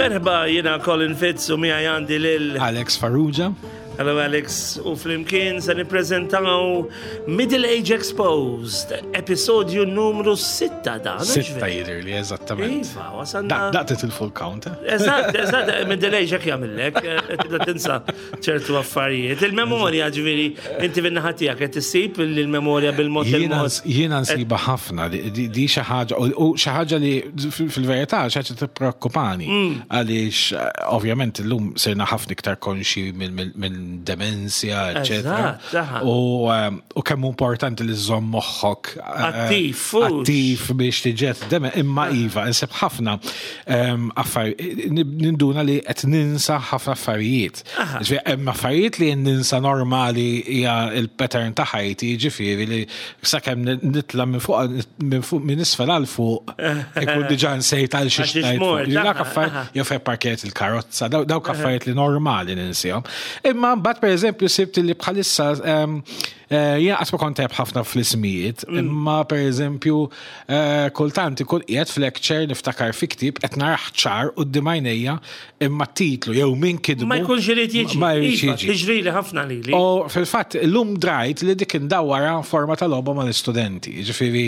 Merħba, jiena Colin Fitz u miegħi għandi lil Alex Farrugia. Hello Alex, u flimkien se nippreżentaw Middle Age Exposed, episodju numru 6 dan. Sitta jidher li eżattament. Iva, wasanna. Daqtet il-full count. eh? Eżatt, eżatt, Middle Age hekk jagħmillek, eh, tibda tinsa ċertu affarijiet. Il-memorja ġifieri inti fin-naħa tiegħek qed issib il-memorja bil-mod Jiena il-mod. jiena nsiba ħafna di- di di xi ħaġa u u xi ħaġa li fil- fil-verità xi ħaġa tippreokkupani għaliex eh, ovvjament illum sirna ħafna iktar konxi minn demenzja, eċetera. Eżatt, aha. U ehm, u kemm hu importanti li żżomm moħħok eh, Attiv, fux. attiv biex tiġet deme imma iva, insib ħafna ehm, affarijiet ninduna li qed ninsa ħafna affarijiet. Ġifieri hemm affarijiet li ninsa normali hija il-pattern ta' ħajti, ġifieri li sakemm nitla' minn fuq minn fuq minn isfel għal fuq ikun diġà nsejt għal xi Għal xiex xtajt. mort, Ġifieri Dak aha, affarijiet jew fejn parkejt il-karozza, daw- dawk affarijiet li normali ninsihom. Imma mbagħad pereżempju sibt li bħalissa ehm, eh, jien qatt ma kont tajjeb ħafna fl-ismijiet, imma pereżempju eh, kultant ikun qiegħed f'lecture niftakar fi ktieb qed narah ċar quddiem għajnejja imma t-titlu jew min kitbu Ma jkunx irid jiġi. Ma jridx Iva, jiġi. Tiġrili ħafna lili. U fil-fatt, l-lum drajt li dik indawwara forma ta' logħba mal-istudenti. Ġifieri,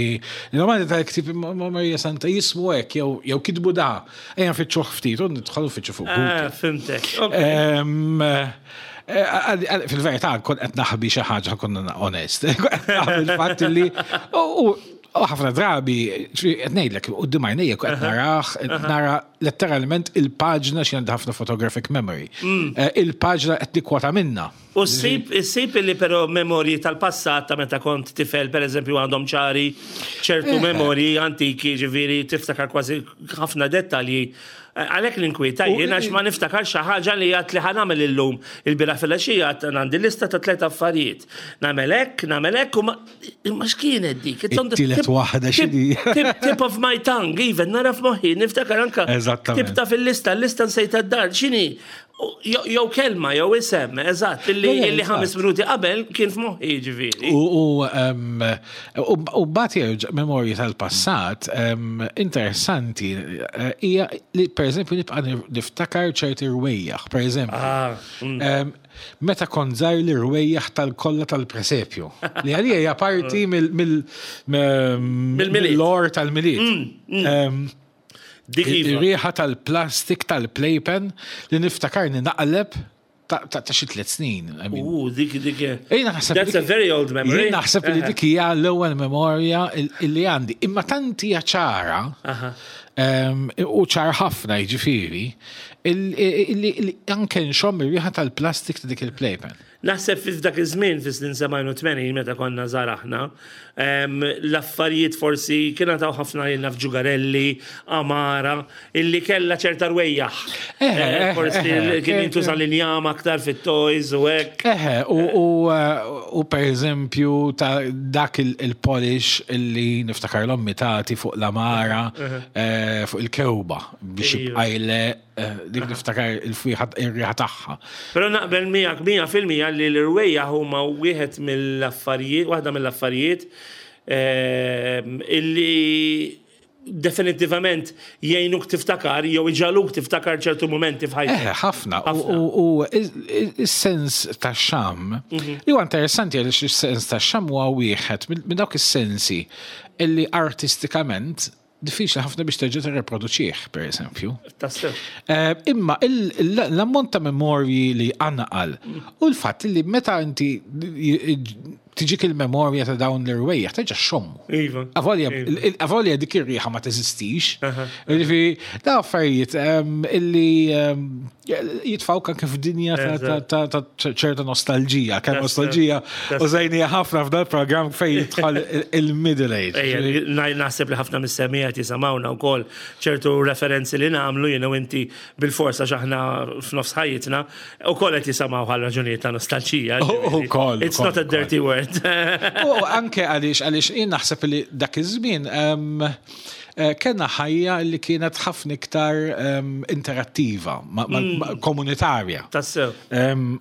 normali tal-ktib ma Marija Santa jismu hekk jew jew kitbu da. Ejja nfittxuh ftit u nidħolu nfittxu fuq Google. Ah, fimtek. Ok. Ehm, eh, għal- għal- Fil-verità, kon qed naħbi xi ħaġa konna onest. Qed naħbi il-fatt li u u ħafna drabi, ġifieri, qed ngħidlek, quddiem għajnejja qed narah, qed nara letteralment il-paġna xi għandha ħafna photographic memory. Eh, Il-paġna qed nikkwota minna. U ssib issib li però memorji tal-passat ta' meta kont tifel, per eżempju, għandhom ċari ċertu memorji antiki, ġifieri tiftakar kważi ħafna dettalji. Eh, Għalhekk l-inkwieta jien għax ma niftakar xi ħaġa li għad li ħanamel illum il-bira filgħaxija għad għandi lista ta' tliet affarijiet. Nagħmel hekk, nagħmel hekk u ma imma x'kienet dik? It's on the It-tielet tip- waħda x'inhi? tip- Tip tip of my tongue, even nara f'moħħi, niftakar anka. Eżattament. Tip ta' fil-lista, l-lista nsejta d-dar, x'inhi? U- Jew jew kelma, jew isem, eżatt, illi Le, le, illi ħames eżatt. minuti qabel kien f'moħħi ġifieri. U u, em, u u mbagħad jerġa' memorji tal-passat em, interessanti eh, hija li pereżempju nibqa' niftakar ċerti rwejjaħ, pereżempju. Ah, Em, Meta kont żgħir li rwejjaħ tal-kolla tal-presepju. Li għalija hija parti mill- mill- Mill-Milied. mill-lore tal-Milied. Em, Dik iva. Ir-riħa tal-plastik tal-playpen li niftakarni naqleb ta' ta' ta' xi tliet snin. I mean, U dik dik. Jien naħseb That's a very old memory. Jien naħseb li dik hija l-ewwel memorja il- illi għandi. Imma tant hija ċara em, u ċar ħafna jiġifieri il- illi illi anke nxomm ir-riħa tal-plastik ta' dik il-playpen. Naħseb fi f'dak iż-żmien fis-snin 87 meta konna żgħar aħna, em, l-affarijiet forsi kien taw ħafna lilna f'ġugarelli, amara, illi kellha ċerta rwejjaħ. Eh, Eh, eh, Forsi eh, kien eh, jintuża l-injam aktar fit-toys u hekk. Eħe, u, u, eh, u per eżempju ta' dak il- il-polish illi niftakar l-ommi tagħti fuq l-amara, eh, fuq il-kewba biex Iva. jibqa' jle eh, dik niftakar il-fwieħa ir-riħa tagħha. Però naqbel miegħek 100% li l-irwejjaħ huma wieħed mill-affarijiet, waħda mill-affarijiet ehm, illi definitivament jgħinuk tiftakar jew iġaluk tiftakar ċertu momenti f'ħajtek. Eħe, ħafna. U- Ħafna. U u is-sens ta' xam, li huwa interessanti għaliex is-sens ta' xam huwa wieħed minn minn dawk is-sensi illi artistikament diffiċli ħafna biex terġa' tirreproduċih, per eżempju. Tassew. Eh, Imma il- l- l-ammont ta' memorji li għanqal u l-fatt li meta inti tiġik il-memorja ta' dawn l-irwejjaħ terġa' xommu. Iva. Avolja, Iva. il- il- avolja dik ir-riħa ma teżistix. Ġifieri, da affarijiet em, illi em, jitfawk anke f'dinja ta- ta- ta' ta' ċerta nostalġija. Kemm Tassew. nostalġija Tassew. użajnija ħafna f'dal programm fejn jidħol il- il-middle age. Ejja, Ġifieri, naħseb li ħafna mis-semijat jisamawna u kol ċertu referenzi li namlu jena u inti bil-forsa xaħna f'nofs ħajjitna u kol qed jisamaw għal raġunijiet ta' nostalġija. U- ġifieri. ukoll, It's not a ukoll, dirty word. U anke għaliex għaliex jien naħseb li dak iż-żmien em, Kellna ħajja li kienet ħafna iktar interattiva, komunitarja. Tassew.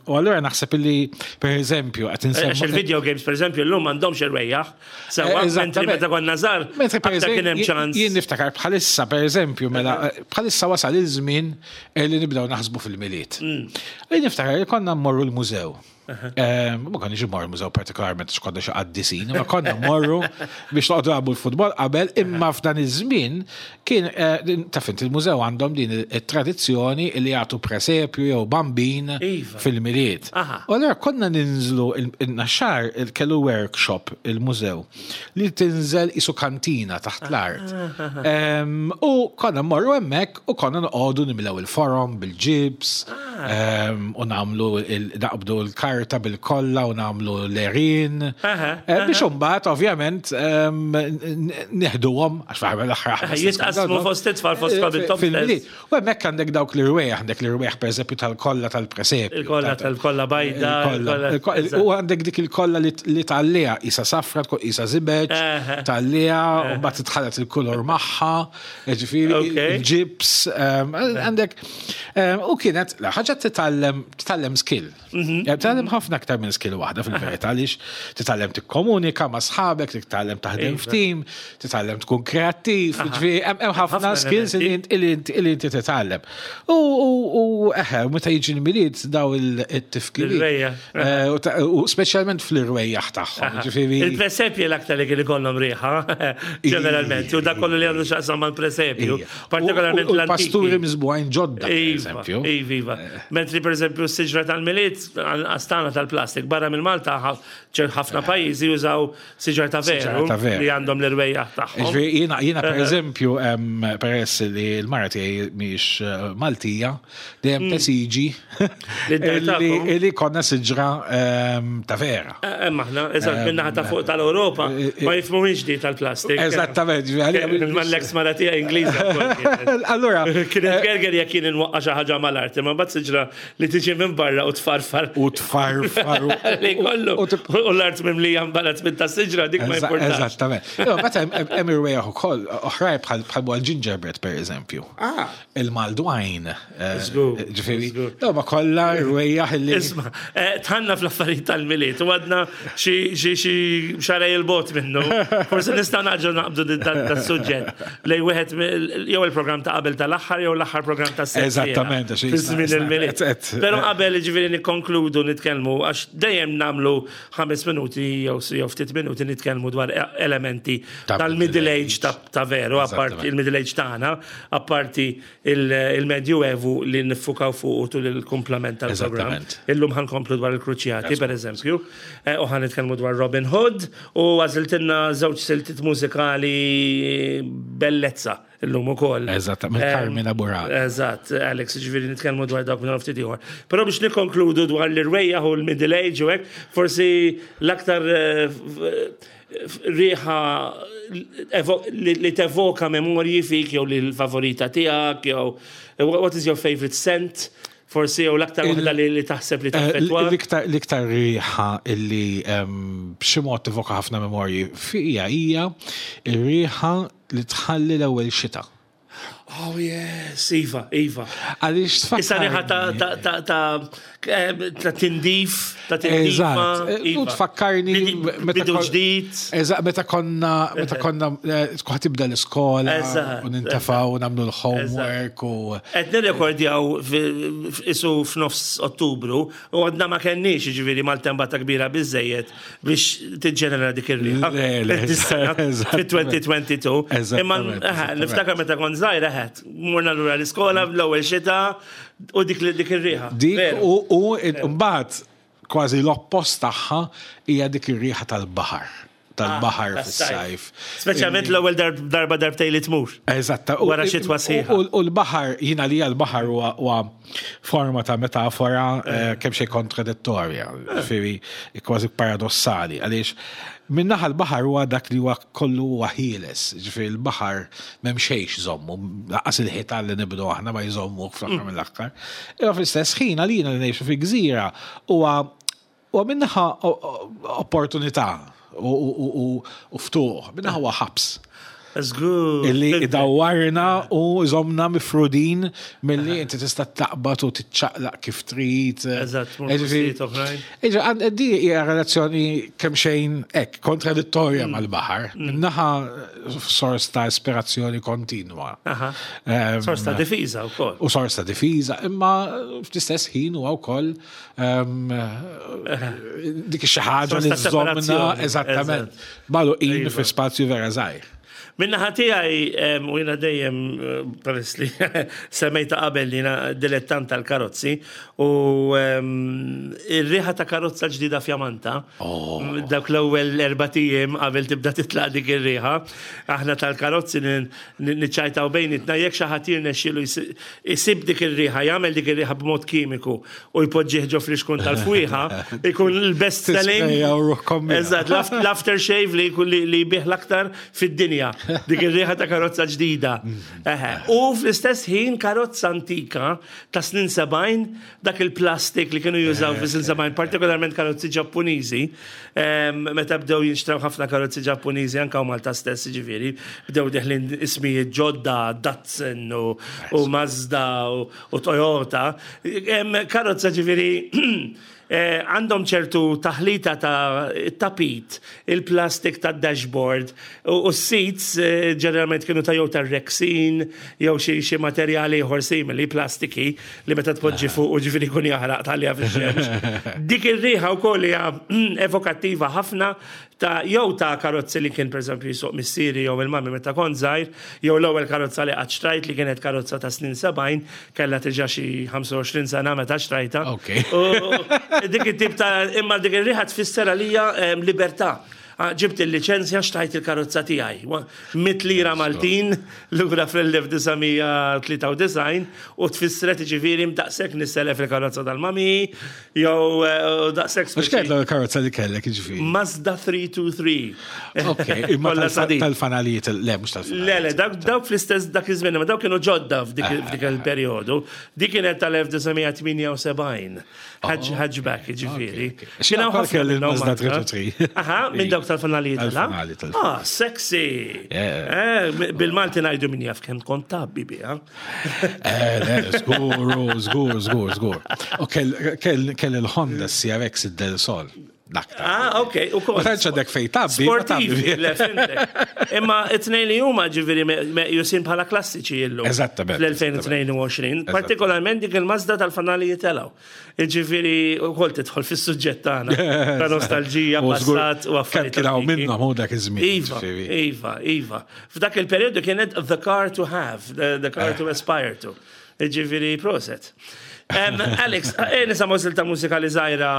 U allura naħseb li, per eżempju, qed insemmu. Għax il-video games, per eżempju, llum m'għandhomx irwejjaħ. Sewwa, mentri meta konna żgħar, aktar kien hemm ċans. Jien niftakar bħalissa, per eżempju, mela bħalissa wasal iż-żmien li nibdew naħsbu fil-Milied. Jien niftakar li konna mmorru l-mużew. Ma konniex immorru mużew partikolarment għax konna xi qaddisin, ma konna mmorru biex noqogħdu nagħmlu l-futbol qabel, imma f'dan iż-żmien kien eh, taf inti il-mużew għandhom din it-tradizzjoni li jagħtu presepju jew bambin iva. fil-Milied. U allura konna ninżlu in-naxxar kellu workshop il-mużew li tinżel isu kantina taħt l-art. U konna mmorru hemmhekk u konna noqogħdu nimlew il-forom bil-ġibs ah. u nagħmlu naqbdu l-karta bil-kolla u nagħmlu l-erin. Eh, biex imbagħad ovvjament neħduhom għax fl-aħħar l-aħħar. Jitqasmu fost it-tfal fost eh, fil-milied. U hemmhekk għandek dawk l-irwejjaħ, għandek l-irwejjaħ pereżempju tal-kolla tal-presepju. Il-kolla tal-kolla bajda. U għandek dik il-kolla li tgħalliha isa safra, tkun isa żibeġ, tgħalliha u mbagħad titħallat il-kulur magħha, ġifieri il-ġibs, għandek u kienet ħaġa titgħallem titgħallem skill. Mhm. Titgħallem ħafna aktar minn skill waħda fil-verità għaliex titgħallem tikkomunika ma' sħabek, titgħallem taħdem iva. f'tim, titgħallem tkun kreattiv, ġifieri hemm ħafna skills li inti titgħallem. U eħe, meta jiġi l-Milied daw it-tifkiriet. Eh, u speċjalment fl-irwejjaħ tagħhom. Ġifieri. Il-presepji l-aktar li kien ikollhom riħa, ġeneralment, u dak kollu li għandu x'aqsam mal-presepju. Partikolarment l Pasturi miżbugħin ġodda, iva, eżempju. Iva, iva. Mentri per eżempju s-siġra tal-Milied għastana tal-plastik barra minn Malta ħafna pajjiżi jużaw siġar ta' veru li għandhom l-irwejjaħ tagħhom. Jiena per eżempju peress li l-mara tiegħi mhix eh, Maltija, dejjem tesiġi li konna siġra ta' vera. Eh, eh, maħna, eżatt, minna ta' fuq tal-Europa, ma jifhmuhiex di tal-plastik. Eżattament. Mal-ex mara tiegħi Ingliża. Allura. Kienet gerger jekk kien inwaqqa xi ħaġa mal-art, imma mbagħad siġra li tiġi minn barra u tfarfar. U tfarfar. Li kollu. U l-art mimlija mbarat minn ta' siġra dik ma importax. Eżattament. Meta hemm irwejjaħ ukoll oħrajn bħal bħal gingerbread pereżempju. Ah. Il-maldwajn. Ġifieri, no, ma kollha rwejjaħ li. Isma, eh, tħanna fl-affarijiet tal-Milied u għadna xi xarej il-bot minnu. Forsi nistgħu naġġu naqbdu das-suġġett lej wieħed jew il-programm ta' qabel tal-aħħar jew l-aħħar programm ta' sena. Eżattament, fi żmien il-Milied. Però qabel ġifieri nikkonkludu nitkellmu għax dejjem nagħmlu 5 minuti jew ftit minuti nitkellmu dwar elementi tal-middle age ta' veru, apparti il-middle age tagħna, apparti il-Medjuevu li niffukaw fuq tul il-kumplament tal-programm. Illum ħa nkomplu dwar il-Kruċjati, per eżempju, eh, u ħa nitkellmu dwar Robin Hood u għażiltilna żewġ siltiet mużikali bellezza illum ukoll. Eżatt, minn Carmina Burana. Eżatt, Alex, ġifieri nitkellmu dwar dawk minn ftit ieħor. Però biex nikkonkludu dwar l-irwejjaħ u l-middle age u hekk, forsi l-aktar eh, riħa li tevoka memorji fik jew li l-favorita tiegħek jew what is your favorite scent? Forsi jew l-aktar waħda li taħseb li eh, taffettwa. L-iktar riħa illi b'xi mod tevoka ħafna memorji fija hija ir-riħa li tħalli l-ewwel xita. Oh yes, Iva, Iva. Għaliex tfakkar. Issa riħa ta' tindif, ta' tindif. Eżatt. U iva. tfakkarni. Bidu ġdid. Eżatt, meta konna, meta konna, eh, tkun tibda l-iskola. U nintafaw u nagħmlu l-homework u. Qed nirrekordjaw isu f'nofs Ottubru u għadna ma kenniex ġifieri maltempata kbira biżejjed biex tiġġenera dik ir-riħa. Fit-2022. Imma niftakar meta kont żgħir eħed, morna lura l-iskola l-ewwel xita u dik dik ir-riħa. Dik u mbagħad kważi l-oppost tagħha hija dik ir-riħa tal-baħar tal-baħar ah, fis-sajf. Speċjalment l-ewwel darba darbtej li tmur. Eżatt. Wara xitwa sħiħa. U l-baħar, jiena li l-baħar huwa forma ta' metafora eh, kemm xejn kontradittorja, ġifieri kważi paradossali, għaliex minnaħa l-baħar huwa dak li huwa kollu huwa ħieles, ġifieri l-baħar m'hemm xejn jżommu, lanqas il-ħitan li nibnu aħna ma jżommu fl-aħħar mm. mill-aħħar. Imma fl-istess ħin għalina li ngħixu fi gżira huwa huwa minnaħa opportunità u ftuħ, minnaħa huwa ħabs. Żgur. Illi idawwarna u jżommna mifrudin milli inti tista' taqbad u tiċċaqlaq kif trid. Eżatt, tmur postijiet oħrajn. Iġa, di hija relazzjoni kemm xejn hekk kontradittorja mal-baħar. Minnaħa sors ta' ispirazzjoni kontinwa. Sors ta' difiża wkoll. U sors ta' difiża, imma fl-istess ħin huwa wkoll dik xi ħaġa li żommna eżattament. Magħluqin iva. fi spazju vera żgħir. Minna tiegħi u jiena dejjem eh, peress li semmejta qabel li jiena dilettant tal-karozzi u ir-riħa ta' karozza ġdida fjamanta oh. dawk l-ewwel erbatijiem qabel tibda titlaq dik ir-riħa, aħna tal-karozzi niċċajtaw bejnietna jekk xi ħadd jirnexxielu jsib dik ir-riħa, jagħmel dik ir-riħa b'mod kimiku u jpoġġih ġo flixkun tal-fwieħa, ikun l-best selling. Eżatt, l-after shave li jkun li jbih l-aktar fid-dinja. Dik ir-riħa ta' karozza ġdida. U fl-istess ħin karozza antika ta' snin 70, dak il-plastik li kienu jużaw fi snin 70, partikolarment karozzi Ġappuniżi, meta bdew jinxtraw ħafna karozzi Ġappuniżi anka u Malta stess, ġifieri, bdew deħlin ismijiet ġodda, Datsun u Mazda u Toyota. Karozza ġifieri eh, għandhom ċertu taħlita ta' tapit, il-plastik ta' dashboard u s-seats eh, ġeneralment kienu ta' jew ta' rexin jew xi materjali ieħor simili plastiki li meta tpoġġi fuq u ġifieri jkun jaħraq talja fix-xemx. Dik ir-riħa wkoll hija evokattiva ħafna ta' jew ta' karozzi li kien pereżempju jsuq missieri jew il-mami meta kont żgħir, jew l-ewwel karozza li qatt xtrajt li kienet karozza ta' snin 70, kellha diġà xi 25 sena meta xtrajtha. U dik it-tip ta' imma dik ir-riħa tfisser għalija libertà. Ġibt il-liċenzja xtrajt il-karozza tiegħi. Mit lira Maltin lura fl-1993 u tfissret ġifieri daqshekk nisselef il-karozza tal-mami jew eh, daqshekk. Mhux kienet l-karozza li kellek ġifieri. Mazda 323. Ok, imma tal-fanalijiet, le mhux tal-fanalijiet. Le, le, dawk fl-istess dak iż-żmien, ma dawk kienu ġodda f'dik eh. il-perjodu. Dik kienet tal-1978. Hatchback, ġifieri. Kien hawn ħafna kelli Mazda 323. Aha, minn dawk tal-fanalijiet. Tal-fanali Ah, sexy. Eh, bil-Malti ngħidu min jaf kemm kont tabbi biha. Eh, le, żgur, żgur, żgur, żgur. U kell il-Honda CRX id-Del Sol. Ah, ok. U kol. Ma tantx għandek fej tabbi. Sportivi, le, fimtek. Imma it-tnejn li huma ġifieri meqjusin bħala klassiċi illum. Eżattament. Fl-2022. Partikolarment dik il-Mazda tal-fanali jitelgħu. Ġifieri wkoll tidħol fis-suġġett tagħna. Ta' nostalġija, passat u affarijiet. Kien hawn minnhom hu dak iż-żmien. Iva, iva, iva. F'dak il-perjodu kienet the car to have, the car to aspire to. Ġifieri proset. Alex, eh, nisimgħu silta mużikali żgħira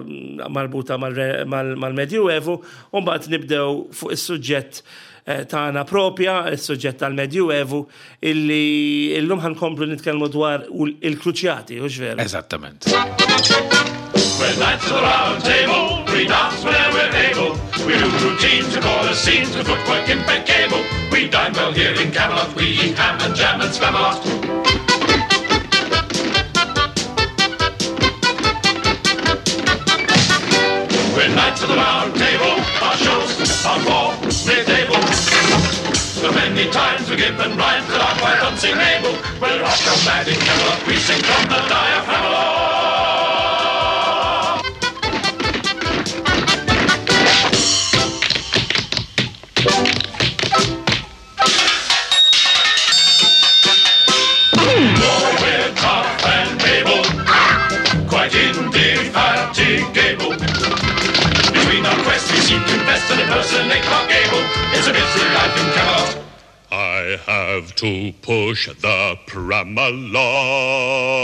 mm, marbuta mal-Medjuevu, u mbagħad nibdew fuq is-suġġett eh, tagħna propja, is-suġġett tal-Medjuevu, illi illum ħankomplu nitkellmu dwar il-kruċjati, u veru? Eżattament. We're knights of the round table, we dance whenever we're able. We do routines, we call a scene, to footwork impeccable. We dine well here in Camelot, we eat ham and jam and spam a lot. We're knights of the round table, our shows are for mid-able. So many times we've given rhymes that are quite unsingable. We're off the mad in Camelot, we sing from the diaphragm. We're tough and able, quite indefatigable. Between our quests we seem to best and impersonate Clark Gable. It's a busy life in Camelot. I have to push the pram a lot.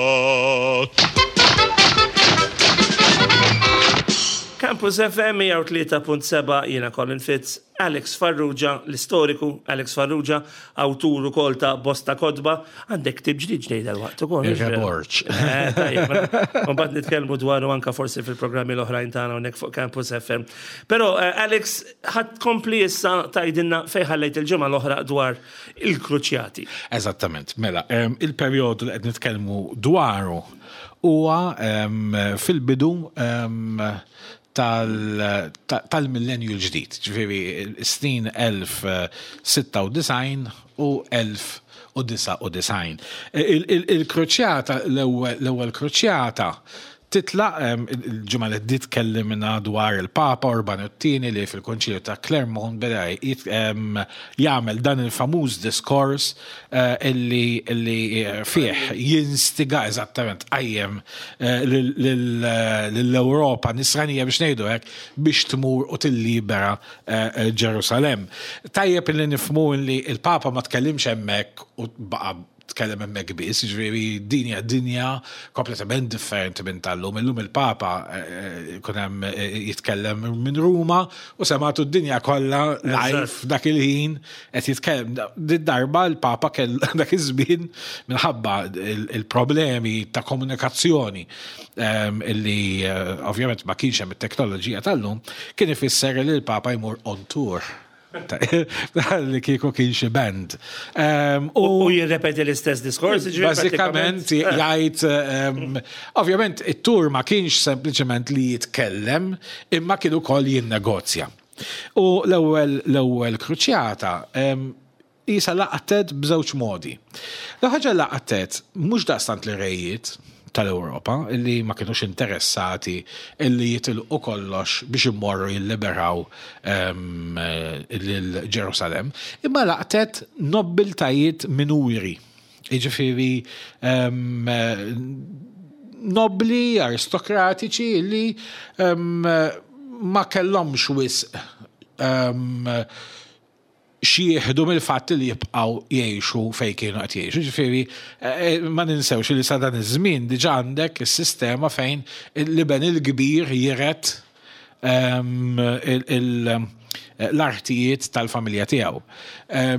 Campus FM 103.7 jiena Colin Fitz, Alex Farrugia, l-istoriku Alex Farrugia, awtur ukoll ta' bosta kotba, għandek ktieb ġdid ġdejda l-waqt ukoll. Ir-Reborġ. Eh, tajjeb, mela, Mbagħad nitkellmu dwaru anka forsi fil-programmi l-oħrajn tagħna hawnhekk fuq Campus FM. Però eh, Alex, ħadd kompli issa tgħidilna fejn ħallejt il-ġimgħa l-oħra dwar il-kruċjati. Eżattament, mela, em, il-perjodu li qed nitkellmu dwaru huwa em, fil-bidu em, tal-millenju l-ġdid. Ġifieri, is-snin 1096 u 1099. Il-kruċjata, l-ewwel kruċjata titlaq, il-ġimgħa li għaddiet tkellimna dwar il-Papa Urbanu t-Tieni li fil-Konċilju ta' Clermont beda jagħmel dan il-famuż diskors illi fih jinstiga eżattament qajjem lill-Ewropa nisranija biex ngħidu hekk biex tmur u tillibera Ġerusalemm. Tajjeb illi nifhmu illi l-Papa ma tkellimx hemmhekk u baqa' tkellem hemmhekk biss, jiġifieri din hija dinja kompletament differenti minn tal-lum. Illum il-Papa jkun hemm jitkellem minn Ruma u semgħatu d-dinja kollha live dak il-ħin qed jitkellem. Did-darba l-Papa kell dak iż-żmien minħabba il-problemi ta' komunikazzjoni illi ovvjament ma kienx hemm it-teknoloġija tal-lum, kien ifisser li l-Papa jmur on tour. Li kieku kien xi band. U jirrepeti l-istess diskors, jiġifieri Bażikament jgħid, ovvjament it-tour ma kienx sempliċement li jitkellem, imma kien ukoll jinnegozja. U l-ewwel l-ewwel kruċjata qisha laqtet b'żewġ modi. L-ewwel ħaġa laqtet mhux daqstant l-rejiet tal-Ewropa li ma kinux interessati li jitilqu kollox biex immorru jilliberaw lil Ġerusalemm, imma laqtet nobbiltajiet minuri. Jiġifieri nobbli, aristokratiċi li ma kellhomx wisq x'jieħdu mill-fatt li jibqgħu jgħixu fejn kienu qed jgħixu. Ġifieri ma ninsewx li sa dan iż-żmien diġà għandek is-sistema fejn l-iben il-kbir jiret l-artijiet tal-familja tiegħu.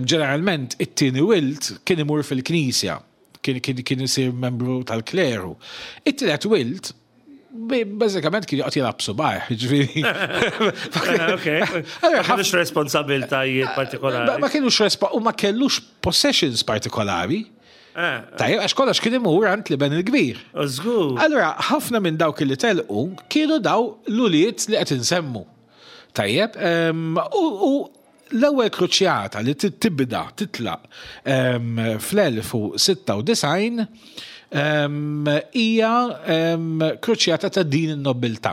Ġeneralment it-tieni wild kien imur fil-knisja, kien isir membru tal-kleru. It-tielet wild bażikament kien joqgħod jilgħab subajh, ġifieri. Ma kellux responsabiltajiet partikolari. Ma kellux u ma kellux possessions partikolari. Tajjeb, għax kollox kien imur għand l-iben il-kbir. Żgur. Allura, ħafna minn dawk li telqu kienu daw l-ulied li qed insemmu. Tajjeb, u l-ewwel kruċjata li tibda titlaq fl-1096 hija kruċjata ta' din in-nobiltà.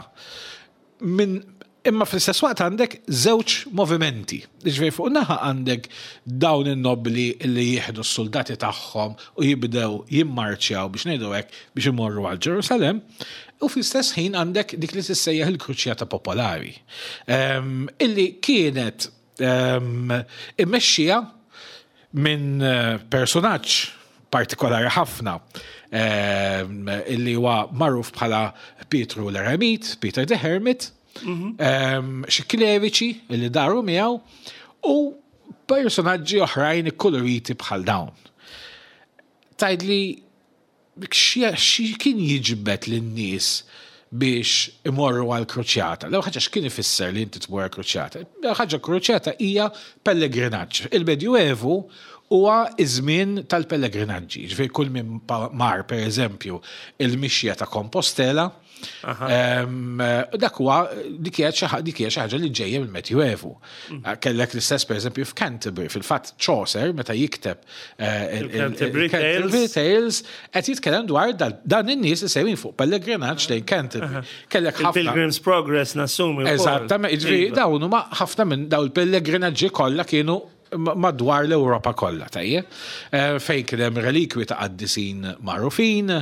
Min imma fl-istess waqt għandek żewġ movimenti. Ġifieri fuq naħa għandek dawn in-nobbli li jieħdu s-soldati tagħhom u jibdew jimmarċjaw biex ngħidu hekk biex imorru għal Ġerusalemm, u fl-istess ħin għandek dik li tissejjaħ il-Kruċjata Popolari, illi kienet immexxija minn personaġġ partikolari ħafna illi huwa magħruf bħala Pietru l-Eremit, Peter the Hermit, xi kleriċi illi daru miegħu u personaġġi oħrajn ikkuluriti bħal dawn. Tgħidli xi kien jiġbed lin-nies biex imorru għal kruċjata? L-ewwel ħaġa x'kien ifisser li inti tmur għal kruċjata? L-ewwel ħaġa kruċjata hija pellegrinaġġ. Il-Medjuevu huwa iż-żmien tal-pellegrinaġġi. Ġifieri kull min mar pereżempju il-mixja ta' Compostela, Dak huwa dik hija xi ħaġa li ġejja mill-Medjuevu. Kellek l-istess pereżempju f'Canterbury, fil-fatt Chaucer meta jikteb il-Canterbury Tales qed jitkellem dwar dan in-nies li sejrin fuq pellegrinaġġ lejn Canterbury. Kellek ħafna. Pilgrim's Progress nassumi. Eżattament, jiġifieri iva. dawn huma ħafna minn dawn il-pellegrinaġġi kollha kienu madwar l-Ewropa kollha, tajjeb, fejn kien hemm relikwi ta' qaddisin magħrufin,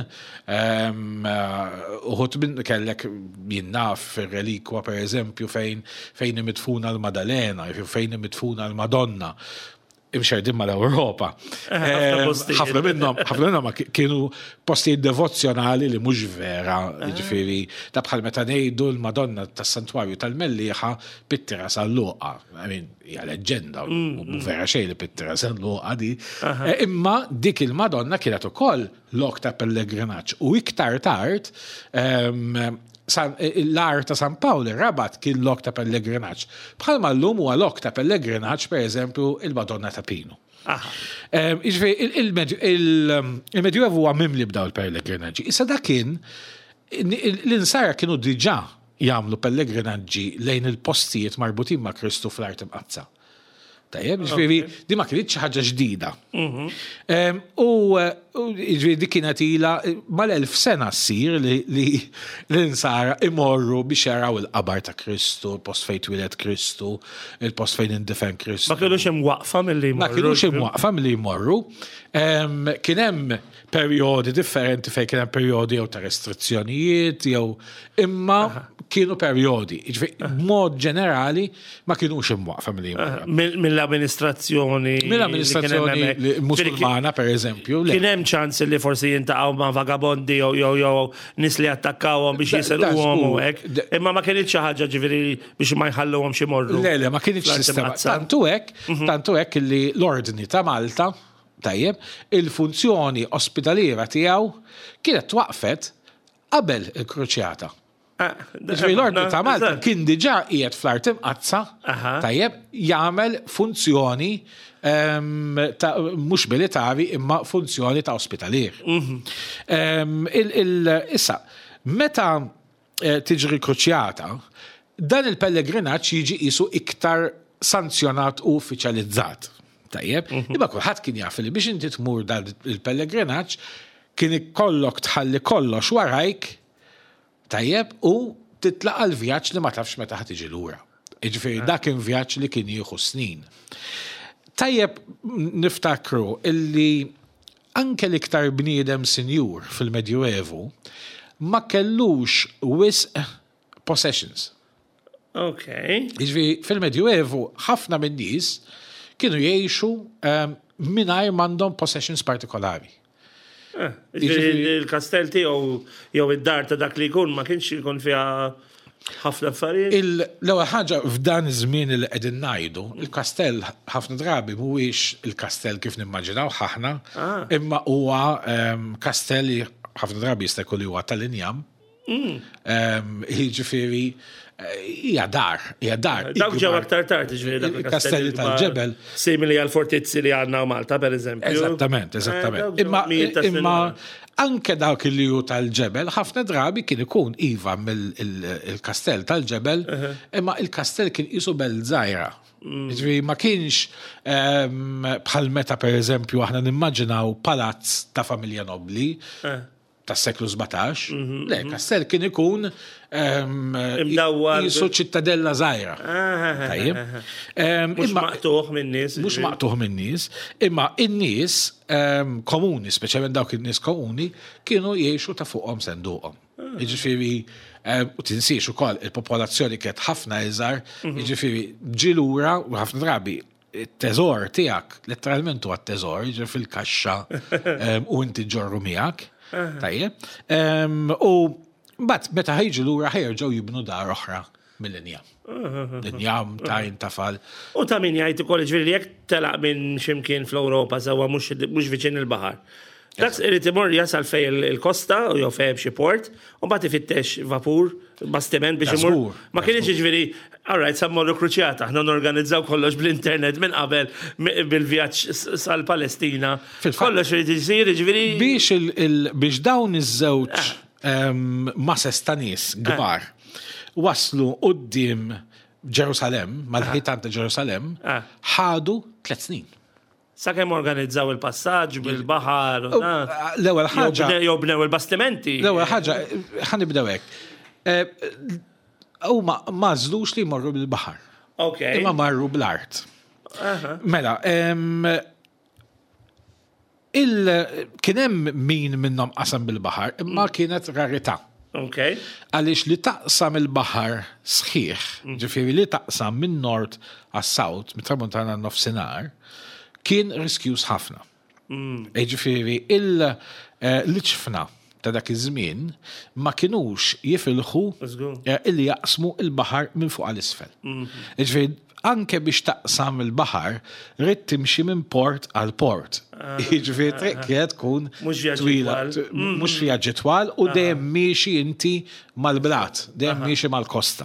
uħud minn kellek jien naf relikwa pereżempju fejn fejn imidfuna l-Madalena, fejn imidfuna l-Madonna imxerdin mal-Ewropa. Ħafna minnhom, ħafna minnhom kienu postijiet devozzjonali li mhux vera, jiġifieri ta' bħal meta ngħidu l-Madonna tas-Santwarju tal-Mellieħa pittira San Luqa. I mean, hija leġġenda, mhu vera xejn li pittira San Luqa di. Imma dik il-Madonna kienet ukoll lok ta' pellegrinaġġ u iktar tard l-għar ta' San Pawl ir-Rabat kien lok ta' pellegrinaġġ. Bħalma llum huwa lok ta' pellegrinaġġ pereżempju il-Madonna ta' Pinu. Jiġifieri il-Medjuevu huwa mimli b'dawn il-pellegrinaġġi. Issa dak kien l-insara kienu diġà jagħmlu pellegrinaġġi lejn il-postijiet marbutin ma' Kristu fl-Art Imqaddsa. Tajjeb, ġifieri di ma kinitx xi ħaġa ġdida. U ġifieri di kienet ilha mal-1000 sena ssir li l-insara imorru biex jaraw il-qabar ta' Kristu, il-post fejn twieled Kristu, il-post fejn indifen Kristu. Ma kinux imwaqqfa milli jmorru. Ma kinux imwaqqfa milli jmorru. Kien hemm perjodi differenti fejn kien hemm perjodi jew ta' restrizzjonijiet jew imma kienu perjodi. Jiġifieri b'mod ġenerali ma kinux imwaqfa milli jmorru. Mill-amministrazzjoni. Mill-amministrazzjoni musulmana per eżempju. Kien hemm ċans li forsi jintaqgħu ma' vagabondi jew jew jew nies li attakkawhom biex jiselquhom u hekk. Imma ma kienx xi ħaġa ġifieri biex ma jħalluhomx imorru. Le, le, ma kienx sistema. Tantu hekk, tantu hekk li l-Ordni ta' Malta Tajjeb, il-funzjoni ospitaliera tiegħu kienet twaqqfet qabel il-Kruċjata. Jiġifieri l-Ordni ta' Malta kien diġà qiegħed fl-Art Imqaddsa, tajjeb, jagħmel funzjoni mhux militari imma funzjoni ta' ospitalier. Issa, meta tiġri kruċjata, dan il-pellegrinaġġ jiġi qisu iktar sanzjonat u uffiċjalizzat. Tajjeb, imma kulħadd kien jaf li biex inti tmur dan il-pellegrinaġġ kien ikollok tħalli kollox warajk, tajjeb, u titlaq għal vjaġġ li ma tafx meta ħa tiġi lura. Jiġifieri dak kien vjaġġ li kien jieħu snin. Tajjeb niftakru illi Anke l-iktar bniedem sinjur fil-Medjuevu ma kellux wisq possessions. Ok. Jiġifieri fil-Medjuevu ħafna min-nies kienu jgħixu mingħajr m'għandhom possessions partikolari. Jiġifieri il-kastell tiegħu jew id-dar ta' dak li jkun ma kienx ikun fiha ħafna affarijiet. L-ewwel ħaġa f'dan iż-żmien li qegħdin ngħidu, il-kastell ħafna drabi mhuwiex il-kastell kif nimmaġinawh aħna, imma huwa kastell li ħafna drabi jista' jkun li huwa tal-injam. Jiġifieri hija dar, hija dar. Dawk ġew aktar tard, jiġifieri dak il-kastelli tal-ġebel. Simili għal fortizzi li għandna Malta, per eżempju. Eżattament, eżattament. Imma Anke dawk li hu tal-ġebel, ħafna drabi kien ikun iva mill-kastell tal-ġebel, imma il-kastell kien qisu belt żgħira. Jiġifieri ma kienx bħal meta pereżempju aħna nimmaġinaw palazz ta' familja nobbli tas-seklu 17. Le, kastell kien ikun Imdawwar. Jisu ċittadella żgħira. Tajjeb. Mhux maqtuħ min-nies. Mhux maqtuħ min-nies, imma in-nies komuni, speċjalment dawk in-nies komuni, kienu jgħixu ta' fuqhom senduqhom. Jiġifieri, u tinsiex ukoll il-popolazzjoni kienet ħafna iżgħar, jiġifieri ġie lura u ħafna drabi it-teżor tiegħek, letteralment huwa t-teżor, jiġri fil-kaxxa u inti ġorru miegħek. Tajjeb. U mbagħad meta ħajġu lura ħjerġgħu jibnu dar oħra mill-injam. L-injam tajn tafal. U ta' min jgħid ukoll ġifieri jekk telaq minn x'imkien fl-Ewropa sewwa mhux viċin il-baħar. Dak irid imur jasal fej il-kosta u jew fej xi port, u mbagħad ifittex vapur, bastiment biex imur. Ma kienx jiġifieri, all right, sa mmorru kruċjata, aħna norganizzaw kollox bl-internet minn qabel bil-vjaġġ sal-Palestina. Kollox irid isir, jiġifieri. Biex biex dawn iż-żewġ masses ta' nies kbar waslu quddiem Ġerusalemm, mal-ħitan ta' Ġerusalemm, ħadu tliet snin. Sakemm organizzaw il-passaġġ bil-baħar. L-ewwel ħaġa. Jew bnew il-bastimenti. L-ewwel ħaġa, ħa nibdew hekk. Huma ma għażlux li jmorru bil-baħar. Ok. Imma marru bl-art. Mela, il kien hemm min minnhom qasam bil-baħar, imma kienet rarità. Ok. Għaliex li taqsam il-baħar sħiħ, ġifieri li taqsam minn nord għas-south, mit-tramuntana għan-nofsinhar, kien riskjuż ħafna. Ġifieri l-iġfna ta' dak iż-żmien ma kinux jifilħu illi jaqsmu il-baħar minn fuq għal isfel. Ġifieri anke biex taqsam il-baħar ridt timxi minn port għal port. Jiġifieri triq kienet tkun twila, mhux vjaġġi twal u dejjem miexi inti mal-blat, dejjem miexi mal-kosta.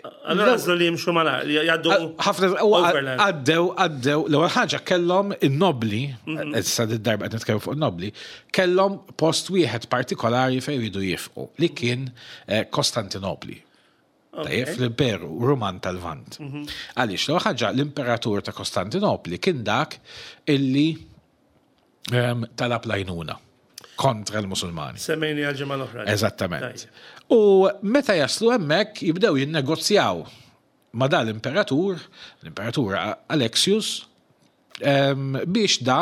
Allora għażlu li jimxu mala, jgħaddu. Ħafna għaddew, għaddew, l-ewwel ħaġa kellhom in-nobli, mhm. issa d-darba qed nitkellmu fuq in-nobli, kellhom post wieħed partikolari fejn jridu jifqu li kien eh, Kostantinopli. Tajjeb, fl-Imperu Ruman tal-Lvant. Mhm. Għaliex, l-ewwel ħaġa l-Imperatur ta' Kostantinopli kien dak illi ehm, talab lajnuna kontra l-Musulmani. Semmejni għal-ġimgħa l-oħra. Eżattament. U meta jaslu hemmhekk jibdew jinnegozjaw ma' dal-imperatur, l-imperatur Alexius, ehm, biex da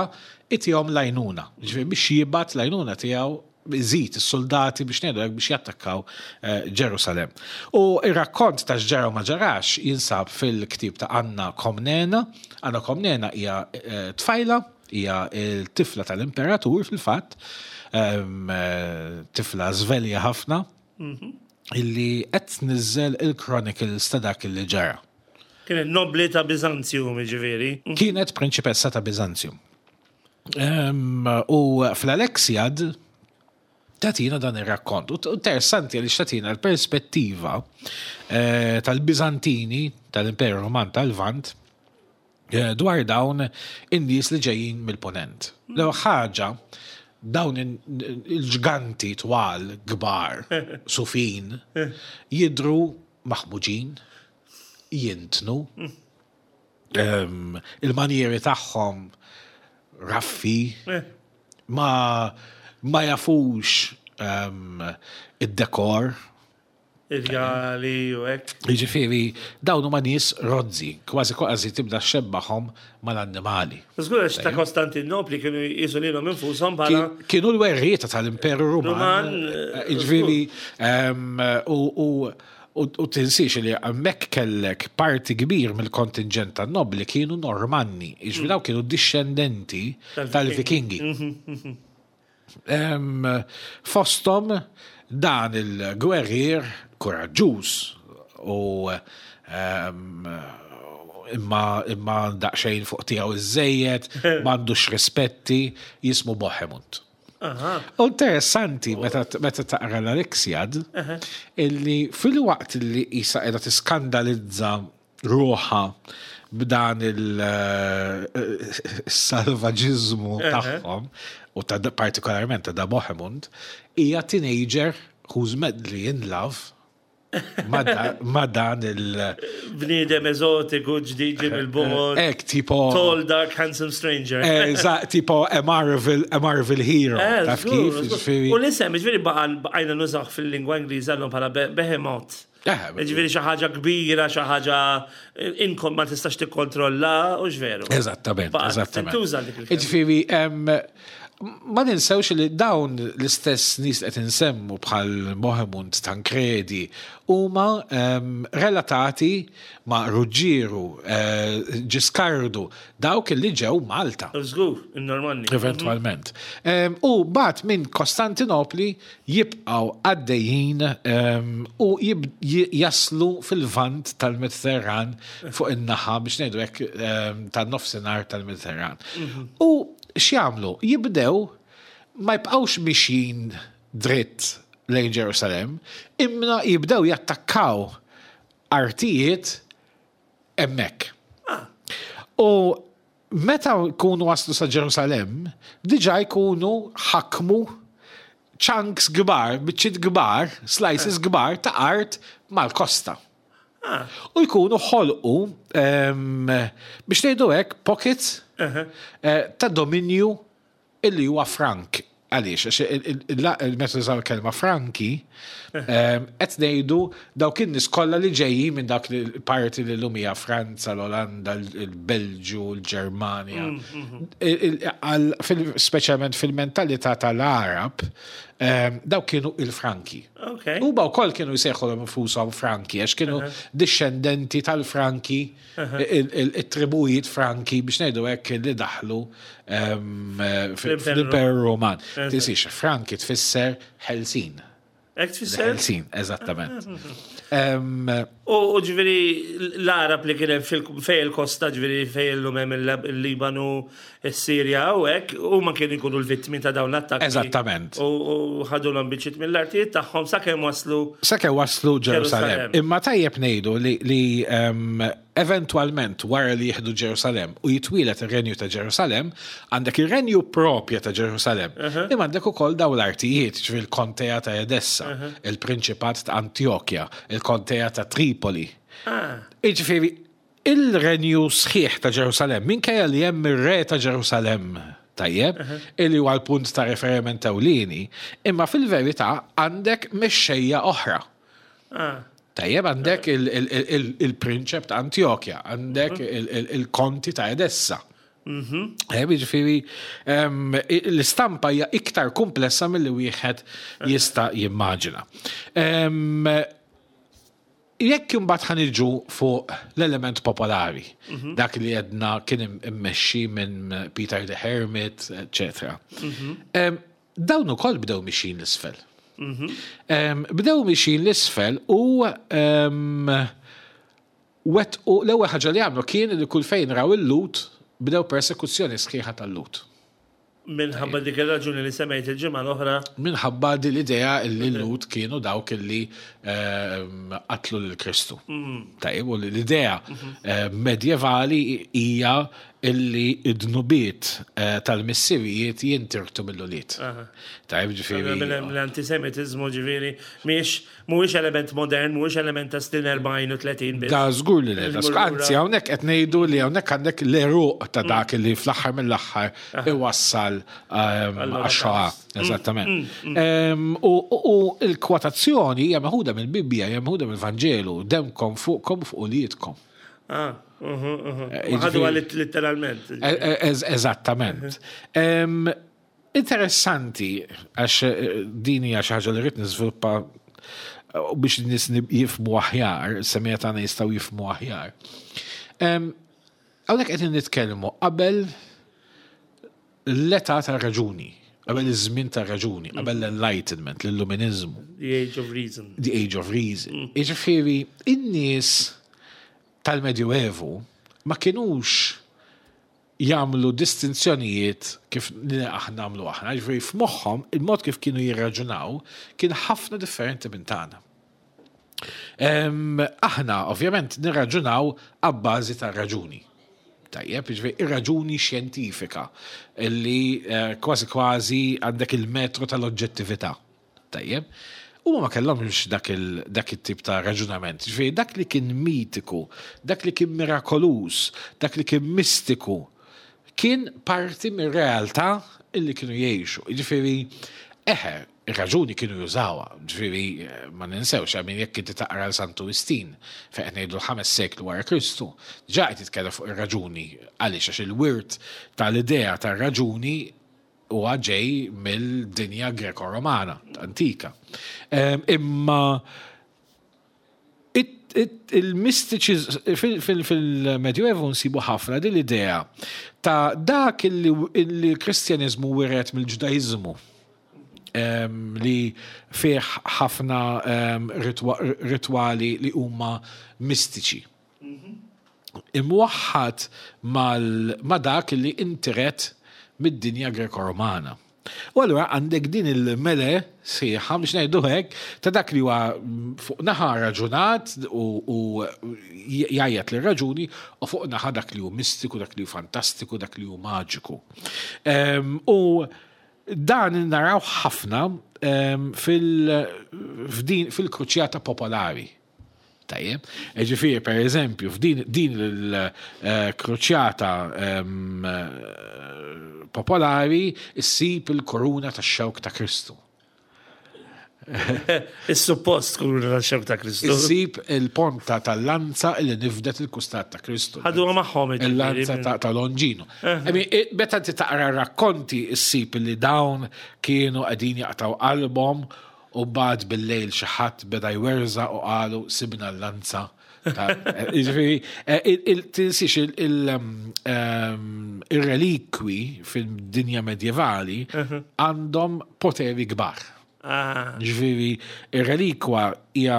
itihom lajnuna, ġifieri biex jibgħat lajnuna tiegħu iżid is-soldati biex ngħidu hekk biex jattakkaw eh, Ġerusalem. U ir-rakkont ta' x'ġara ma ġarax jinsab fil-ktieb ta' Anna Komnena. Anna Komnena hija eh, tfajla, hija l-tifla tal-imperatur fil-fatt, ehm, eh, tifla żvelja ħafna, mhm. illi qed tniżżel il-chronicles ta' dak li ġara. Kienet nobli ta' Bizanzjum, ġifieri. Kienet prinċipessa ta' Bizanzjum. U fl-Alexiad tatina dan ir-rakkont. U interessanti għaliex tatina l-perspettiva eh, tal-Bizantini, tal-Imperu Roman tal-Vant, eh, dwar dawn in-nies li ġejjin mill-ponent. L ħaġa dawn il-ġganti twal, kbar, sufin, jidru maħmuġin, jintnu, il-manjeri tagħhom raffi, eh. ma, ma jafux id-dekor. Il-gali u hekk. Jiġifieri dawn huma nies rozzi, kważi kważi tibda xebbaħhom mal-annimali. Żgur għax ta' Kostantinopli kienu jqisu lilhom infushom bħala. Kienu l-werrieta tal-Imperu Ruman. Eh, jiġifieri u U tinsiex li hemmhekk kellek parti kbir mill-kontinġent tan-nobbli kienu Normanni, jiġifieri dawk kienu dixxendenti tal-Vikingi. Fosthom dan il-gwerrier kuraġġuż u imma imma daqsxejn fuq tiegħu iżżejjed, m'għandux rispetti, jismu Bohemund. U interessanti meta taqra l-Alexiad illi fil-waqt li isa qiegħda tiskandalizza ruħha b'dan il-salvaġiżmu tagħhom u ta' partikolarment ta' da Bohemund, hija teenager who's madly in love Ma dan il- Bniedem eżotiku ġdid ġie mill-bogħod. Ek, tipo. Tall, dark, handsome stranger. Eżatt, tipo a Marvel, a Marvel hero. Eh, Taf kif? Ġifieri. U l-isem, ġifieri baqajna nużaw fil-lingwa Ingliża llum bħala behemoth. Eh, ġifieri xi ħaġa kbira, xi ħaġa inkom ma tistax tikkontrolla, u x'veru. Eżattament, eżattament. Tuża dik il Ġifieri, Ma ninsewx li dawn l-istess nies li qed insemmu bħal Bohemund, Tancredi huma ehm, relatati ma' Ruġġieru, eh, Ġiskardu, dawk li ġew Malta. Żgur, in-Normanni. Eventwalment. Ehm, u bat minn Kostantinopli jibqgħu għaddejjin ehm, u jaslu fil-vant tal-Mediterran fuq in-naħa biex ngħidu hekk tan-nofsinhar tal-Mediterran. Mhm. U X'jagħmlu? Jibdew ma jibqgħux mixjin dritt lejn Ġerusalemm, imma jibdew jattakkaw artijiet hemmhekk. Ah. U meta jkunu waslu sa Ġerusalemm, diġà jkunu ħakmu chunks kbar, biċċiet kbar, slices kbar ta' art mal-kosta. Ah. U jkunu ħolqu biex ngħidu hekk pockets eh, ta' dominju illi huwa frank. Għaliex, għax meta użaw kelma franki, qed ngħidu dawk in-nies kollha li ġejjin minn dak il-parti li llum hija Franza, l-Olanda, il-Belġju, l-Ġermanja. Mm, mm. Speċjalment fil-mentalità tal-Arab, dawk kienu il-Franki. Huma wkoll kienu jsejħulhom infushom Franki għax kienu dixxendenti tal-Franki, it-tribujiet Franki biex ngħidu hekk li daħlu ehm, fl-Imperu Roman. Tinsiex, Franki tfisser ħelsin. Hekk tfisser? Ħelsin, eżattament. Ehm, U ġifieri l-Għarab li kien hemm fej il-kosta, ġifieri fej illum hemm il-Libanu, is-Sirja u hekk, huma kienu jkunu l-vittmi ta' dawn l-attakki. Eżattament. U ħadulhom biċċiet mill-artijiet tagħhom sakemm waslu. Sakemm waslu Ġerusalemm. Imma tajjeb ngħidu li Eventwalment, wara li jieħdu Ġerusalemm u jitwieled ir-Renju ta' Ġerusalemm, għandek ir-renju proprja ta' Ġerusalemm, imma għandek ukoll dawn l-artijiet, jiġifieri l-Kontea ta' Edessa, il-Prinċipat ta' Antjokja, il-Kontea ta' Tripoli. Jiġifieri, il-renju sħiħ ta' Ġerusalemm, minkejja li hemm ir-re ta' Ġerusalemm, tajjeb, illi huwa l-punt ta' riferiment ewlieni, imma fil-verità għandek mexxejja oħra. Tajjeb, għandek il-prinċep ta' Antjokja, għandek il-konti ta' Edessa. Jiġifieri, l-istampa hija iktar komplessa milli wieħed jista' jimmaġina. Jekk imbagħad ħa niġu fuq l-element popolari, dak li għedna kien immexxi minn Peter the Hermit, eċċetera. Dawn ukoll bdew mixjin l-isfel. Bdew mixjin l-isfel u wettqu l-ewwel ħaġa li għamlu kien li kull fejn raw il-Lhud bdew persekuzzjoni sħiħa tal-Lhud. Minħabba dik ir-raġuni li semmejt il-ġimgħa l-oħra. Minħabba din l-idea li l-Lhud kienu dawk li qatlu lil Kristu. Tajjeb, u l-idea medjevali hija illi id-dnubiet tal-missirijiet jintirtu mill-ulied. Tajjeb, ġifieri. L-antisemitiżmu ġifieri mhijiex mhuwiex element modern, mhuwiex element ta' snin 40 u 30 biss. Da żgur li le. Anzi, hawnhekk qed ngħidu li hawnhekk għandek l-għeruq ta' dak li fl-aħħar mill-aħħar iwassal għax-Shoah. Eżattament. U l-kwotazzjoni hija meħuda mill-Bibbja, hija meħuda mill-Vanġelu, demkom fuqkom u fuq uliedkom. Ah, Ħadu għalit literalment. Eżattament. Interessanti, għax din hija xi ħaġa li rrid niżviluppa biex nies jifhmu aħjar, semija tagħna jistgħu jifhmu aħjar. Hawnhekk qed nitkellmu qabel l-età tar-raġuni, qabel iż-żmien tar-raġuni, qabel l-Enlightenment, l-Illuminiżmu. The Age of Reason. The Age of Reason. Jiġifieri, in-nies tal-Medjuevu ma kinux jagħmlu distinzjonijiet kif aħna nagħmlu aħna, jiġifieri f'moħħhom il-mod kif kienu jirraġunaw kien ħafna differenti minn tagħna. Aħna ovvjament nirraġunaw abbażi tar-raġuni. Tajjeb, jiġifieri ir-raġuni xjentifika li kważi kważi għandek il-metru tal-oġġettività. Tajjeb. Huma ma kellhomx dak it-tip ta' raġunament. Ġifieri dak li kien mitiku, dak li kien mirakoluż, dak li kien mistiku, kien parti mir-realtà illi kienu jgħixu. Jiġifieri, eħe, ir-raġuni kienu jużawha, ġifieri ma ninsewx, I mean jekk inti taqra l Santu Wistin, fejn qed ngħidu l-ħames seklu wara Kristu, diġà qed jitkellem fuq ir-raġuni. Għaliex? Għax il-wirt tal-idea tar-raġuni huwa ġej mill-dinja Greko-Romana antika. Imma Il-mistiċi fil-Medjuevu nsibu ħafna din l-idea ta' dak li l-Kristjaniżmu wiret mill-Ġudaiżmu li fih ħafna ritwali li huma mistiċi. Imwaħħad ma' dak li intiret mid-dinja Greko-Romana. U allura għandek din il-mele sħiħa, biex ngħidu hekk, ta' dak li huwa fuq naħa raġunat u jgħajjat lir-raġuni u fuq naħa dak li hu mistiku, dak li hu fantastiku, dak li hu maġiku. U dan naraw ħafna fil-kruċjata popolari. Tajjeb. Ġifieri, per eżempju, f'din din il-kruċjata popolari issib il-koruna tax-xewk ta' Kristu. Is-suppost kuruna tax-xewk ta' Kristu. Issib il-ponta tal-lanza li nifdet il-kustat ta' Kristu. Ħaduha magħhom Il-lanza ta' Longino. Meta inti taqra rakkonti issib li dawn kienu qegħdin jaqtgħu qalbhom U mbagħad bil-lejl xi ħadd beda jwerżaq u qalu sibna l-lanza. Jiġifieri, tinsiex ir-relikwi fid-dinja medjevali għandhom poteri kbar. Jiġifieri, ir-relikwa hija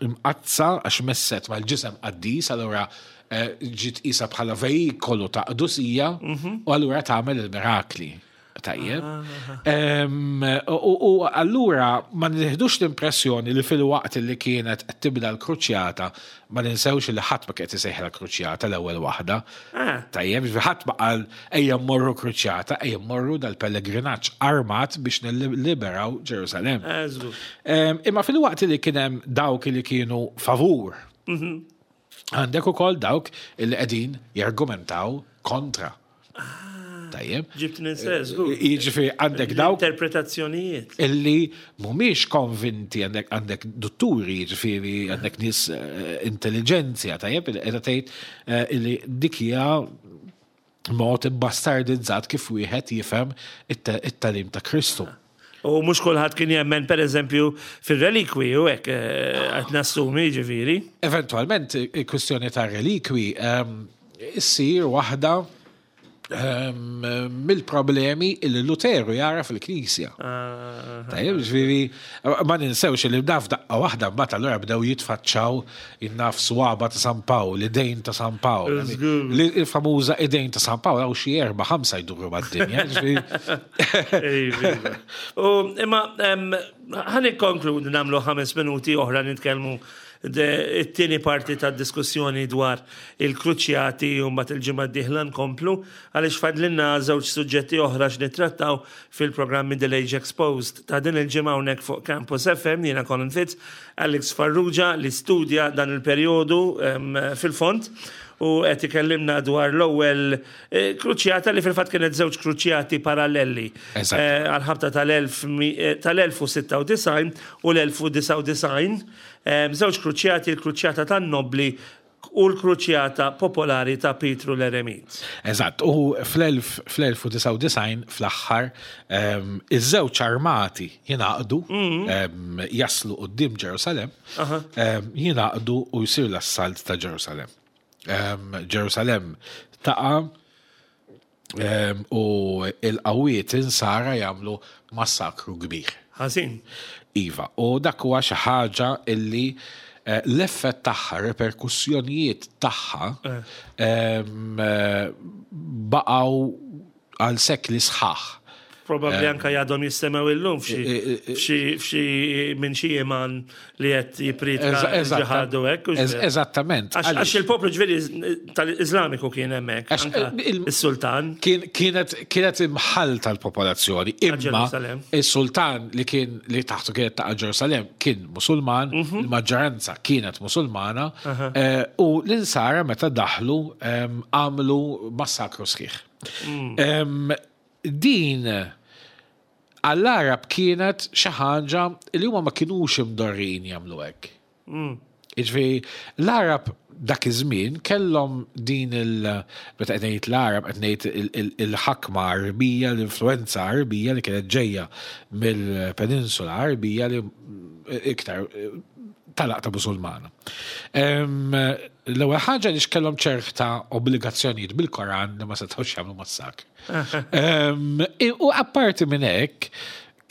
imqaddsa għax messet mal-ġisem qaddis, allura ġiet qisha bħala vejikolu ta' qdusija u allura tagħmel il-mirakli. Tajjeb. U allura ma nieħdux l-impressjoni li fil-waqt li kienet qed tibda l-kruċjata ma ninsewx li ħadd ma kienet isejħla kruċjata l-ewwel waħda. Tajjeb, ħadd ma qal ejja mmorru kruċjata, ejja mmorru dal-pellegrinaġġ armat biex nilliberaw Ġerusalemm. Imma fil-waqt li kien hemm dawk li kienu favur, għandek ukoll dawk li qegħdin jargumentaw kontra. Tajjeb. Ġibt ninsez, Jiġifieri għandek dawk. Interpretazzjonijiet. Illi mhumiex konvinti għandek għandek dutturi, jiġifieri għandek nies intelligenzja, tajjeb, illi qiegħda tgħid illi dik hija mod imbastardizzat kif wieħed jifhem it-tagħlim ta' Kristu. U mhux kulħadd kien jemmen pereżempju fir-relikwi u hekk qed nassumi jiġifieri. Eventwalment il-kwistjoni tar-relikwi issir waħda mill-problemi li Luteru jara fil-Knisja. Tajjeb, ġifieri, ma ninsewx li naf daqqa waħda mbagħad allura bdew jitfaċċaw innaf swaba ta' San Pawl, idejn ta' San Pawl. Il-famuża idejn ta' San Pawl hawn xi erba' ħamsa jduru mad-dinja. U imma ħa nikkonkludi nagħmlu ħames minuti oħra nitkellmu it-tieni parti tad-diskussjoni dwar il-kruċjati u mbagħad il-ġimgħa d-dieħla nkomplu għaliex fadlilna żewġ suġġetti oħra x'nittrattaw fil-programm Middle Age Exposed ta' din il-ġimgħa hawnhekk fuq Campus FM jiena Colin Fitz, Alex Farrugia li studja dan il-perjodu fil-fond u qed ikellimna dwar l-ewwel kruċjata li fil-fatt kienet żewġ kruċjati paralleli għal-ħabta tal-1096 u l-1099 Żewġ kruċjati, il-kruċjata tan-nobbli u l-kruċjata popolari ta' Pietru l-Eremit. Eżatt, u fl-1099 fl-aħħar iż-żewġ armati jingħaqdu, jaslu quddiem Ġerusalemm, jingħaqdu u jsir l-assalt ta' Ġerusalemm. Ġerusalemm taqa' u l-qawwiet insara jagħmlu massakru kbir. Ħażin. Iva, u dak huwa xi ħaġa illi eh, l-effett tagħha, reperkussjonijiet tagħha eh. eh, baqgħu għal sekli sħaħ. Probabbli anka jgħadhom jistemew illum f'xi minn xi iman li qed jipritka ġihad u hekk. Eżattament. Għax il-poplu ġifieri tal-Iżlamiku kien hemmhekk. Is-sultan. Kienet imħallta l-popolazzjoni, imma is-sultan li kien li taħtu kienet ta' Ġerusalem kien Musulman, mhm. il-maġġoranza kienet Musulmana, eh, u l-insara meta daħlu għamlu massakru sħiħ. Mm. Din għall-Għarab kienet xi ħaġa li huma ma kinux imdorrijin jagħmlu hekk. Mm. Jiġifieri l-Għarab dak iż-żmien kellhom din il meta qed ngħid l-Għarab qed ngħid il-ħakma Għarbija, l-influenza Għarbija li kienet ġejja mill-Peninsula Għarbija li iktar tal-aqta Musulmana. L-ewwel ħaġa li x'kellhom ċerta obbligazzjonijiet bil-Koran li ma setgħux jagħmlu massakr. U apparti minn hekk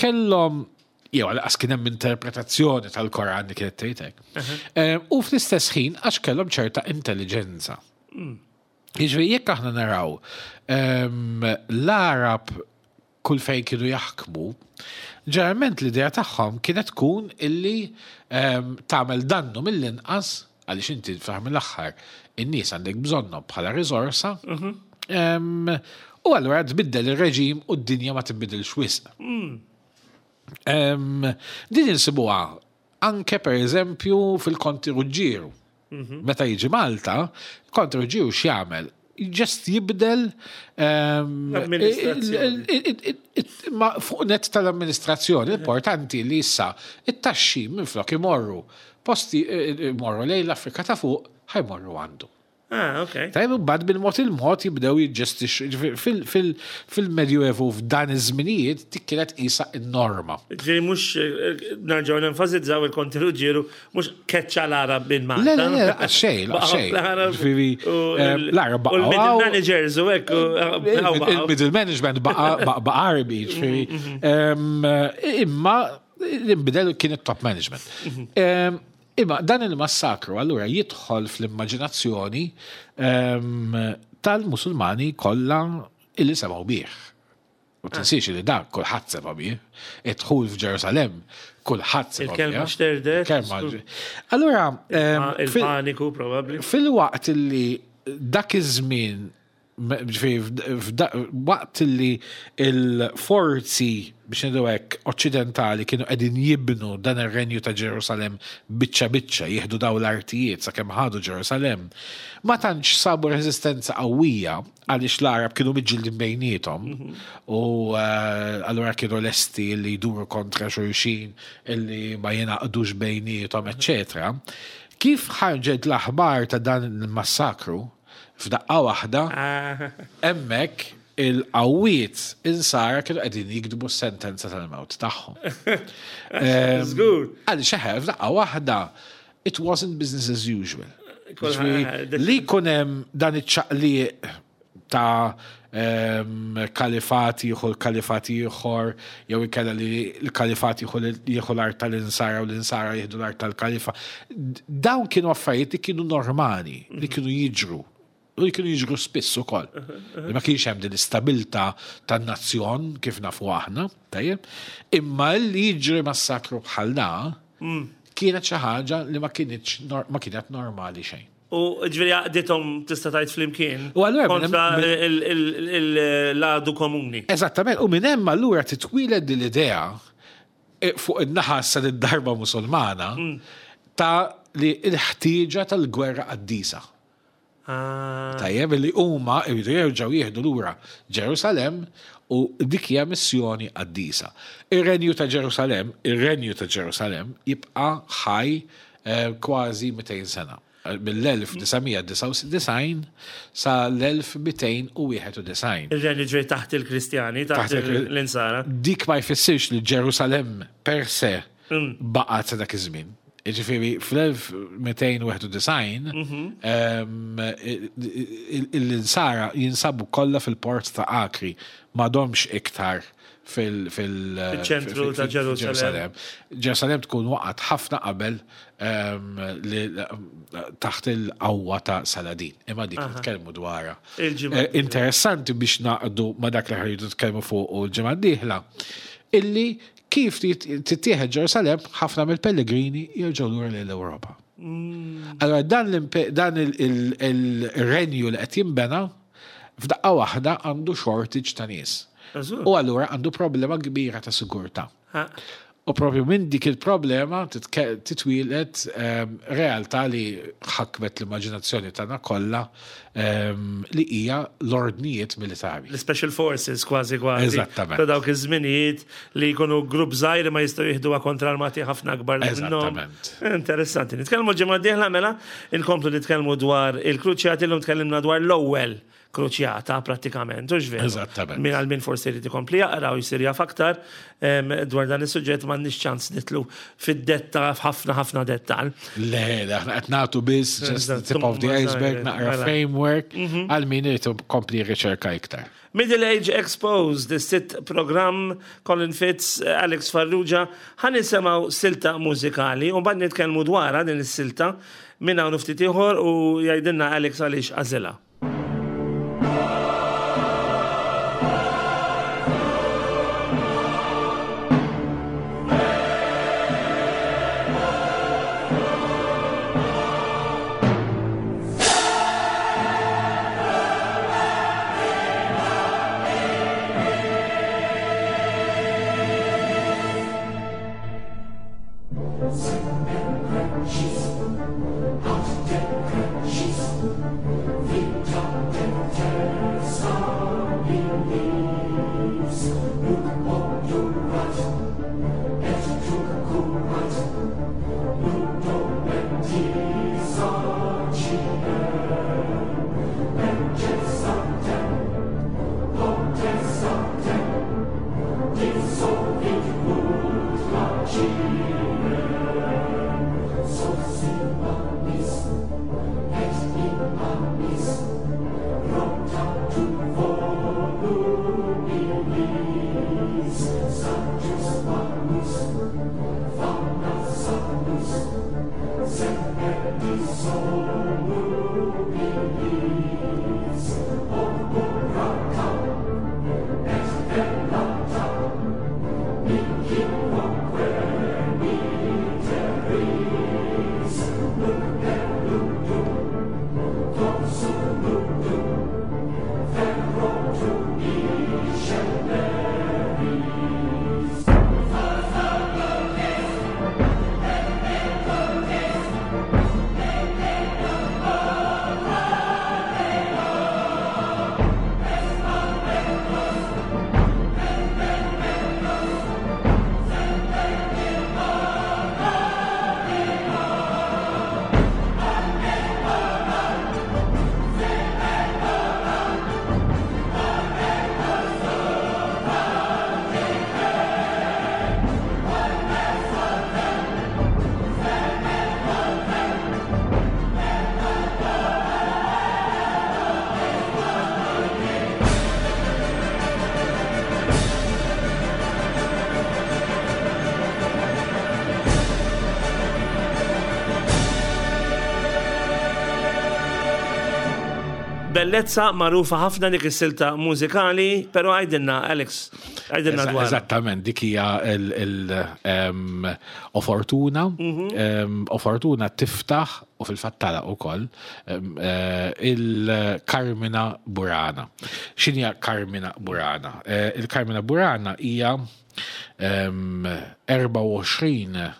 kellhom jew għalqas kien hemm interpretazzjoni tal-Koran li kienet tgħid hekk. U fl-istess ħin għax kellhom ċerta intelligenza. Mm. Jiġifieri jekk aħna naraw l-Arab kull fejn kienu jaħkmu, ġeneralment l-idea tagħhom kienet tkun illi ehm, tagħmel dannu mill-inqas għaliex inti fl mill-aħħar in-nies għandek bżonnhom bħala riżorsa. Mhm. Ehm, u allura tbiddel ir-reġim u d-dinja ma tinbidilx wisq. Mm. Ehm, din insibuha anke per eżempju fil-Konti Ruġġieru. Mhm. Meta jiġi Malta, Konti Ruġġieru x'jagħmel? Ġest jibdel ehm, fuq net tal-amministrazzjoni. Importanti li issa it-taxxi minflok imorru posti eh, eh, imorru lejn l-Afrika ta' fuq ħajmorru għandu. Ah, ok. Tajb, mbagħad bil-mod il-mod jibdew jiġġestixxu. Fil-Medjuevu f'dan iż-żminijiet dik kienet qisha n-norma. Ġifieri mhux eh, nerġgħu nenfasizzaw il-Konti Ruġġieru mhux keċċa l-Arab minn Malta. Le, le, le, xejn, xejn. Ġifieri eh, l-Arab baqa'. U l-middle managers u hekk. Eh, il-middle management baqa' Arabi, ġifieri. Mhm, mhm. Imma l-inbidel kien it-top management. Mhm. Imma dan il-massakru allura jidħol fl-immaġinazzjoni tal-Musulmani kollha illi semgħu bih. U tinsiex li dak kulħadd sema' bih. Id-dħul f'Ġerusalemm kulħadd sema' bih. Il-kelma xterdet. Il-kelma. Allura. Il-paniku probabbli. Fil-waqt li dak iż-żmien waqt li il-forzi biex ngħidu hekk oċċidentali kienu qegħdin jibnu dan ir-renju ta' Ġerusalemm biċċa biċċa jieħdu daw l-artijiet sakemm ħadu Ġerusalemm, ma tantx sabu reżistenza qawwija għaliex l-Għarab kienu miġġildin bejniethom u allura kienu lesti li jduru kontra xulxin illi ma jingħaqdux bejniethom, eċċetera. Kif ħarġet l-aħbar ta' dan il-massakru, f'daqqa waħda, hemmhekk il-qawwiet insara kienu qegħdin jiktbu s-sentenza tal-mewt tagħhom. Żgur. Għaliex eħe, f'daqqa waħda, it wasn't business as usual. Li jkun hemm dan iċ-ċaqliq ta' kalifat jieħu l-kalifat ieħor, jew inkella li l-kalifat jieħu l-art tal-insara u l-insara jieħdu l-art tal-kalifa. Dawn kienu affarijiet li kienu normali, li kienu jiġru. U li kienu jiġru spiss ukoll. Li ma kienx hemm din l-istabilità tan-nazzjon kif nafu aħna, tajjeb. Imma li jiġri massakru bħal da kienet xi ħaġa li ma kinitx ma kienet normali xejn. U ġifieri għaqdithom tista' tgħid flimkien. U allura kontra l-għadu komuni. Eżattament, u minn hemm allura titwieled din l-idea fuq in-naħa sa darba Musulmana ta' li l-ħtieġa tal-gwerra qaddisa. Tajjeb li huma jridu jerġgħu jieħdu lura Ġerusalemm u dik hija missjoni qaddisa. Ir-renju ta' Ġerusalemm, ir-renju ta' Ġerusalemm jibqa' ħaj kważi 200 sena. Mill-1999 sa l-1291. Ir-renju ġej taħt il-Kristjani, taħt l-Insara. Dik ma jfissirx li Ġerusalemm per se baqgħet sa dak iż-żmien. Ġifieri fl-1291 l-Insara jinsabu kollha fil-port ta' Akri, m'għadhomx iktar fil-ċentru ta' Ġerusalemm. Ġerusalemm tkun waqgħet ħafna qabel taħt il-qawwa ta' Saladin. Imma dik nitkellmu dwarha. Interessanti biex naqdu ma' dak li ħridu nitkellmu fuq u l-ġimgħa d-dieħla, illi kif tittieħed Ġerusalemm ħafna mill-pellegrini jerġgħu lura lejn l-Ewropa. Allora dan il-renju li qed jinbena f'daqqa waħda għandu shortage ta' nies. U allura għandu problema kbira ta' sigurtà. U propju minn dik il-problema titwieled realtà li ħakmet l-immaġinazzjoni tagħna kollha li hija l-ordnijiet militari. L-special forces kważi kważi. Eżattament. Ta' dawk iż-żminijiet li jkunu grupp żgħir ma jistgħu jieħduha kontra armati ħafna akbar minnhom. Eżattament. Interessanti. Nitkellmu ġimgħa d-dieħla mela, inkomplu nitkellmu dwar il-kruċjati, llum tkellimna dwar l-ewwel kruċjata prattikament, hux veru? Eżattament. Min għal min forsi jrid ikompli jaqra u jsir jaf aktar dwar dan is-suġġett m'għandniex ċans nitlu fid-detta f'ħafna ħafna dettal. Le, le, aħna qed nagħtu biss just the tip of the iceberg, naqra framework għal min irid ikompli jirriċerka iktar. Middle Age Exposed, is-sitt programm, Colin Fitz, Alex Farrugia, ħa nisimgħu silta mużikali u mbagħad nitkellmu dwarha din is-silta minn hawn u ftit ieħor u jgħidilna Alex għaliex għażilha. Bellezza magħrufa ħafna dik is-silta mużikali, però għidilna Alex, għidilna dwar. Eżattament, dik hija l-Ofortuna. Ofortuna tiftaħ u fil-fatt tagħlaq ukoll il-Carmina Burana. X'inhija Carmina Burana? Il-Carmina Burana hija 24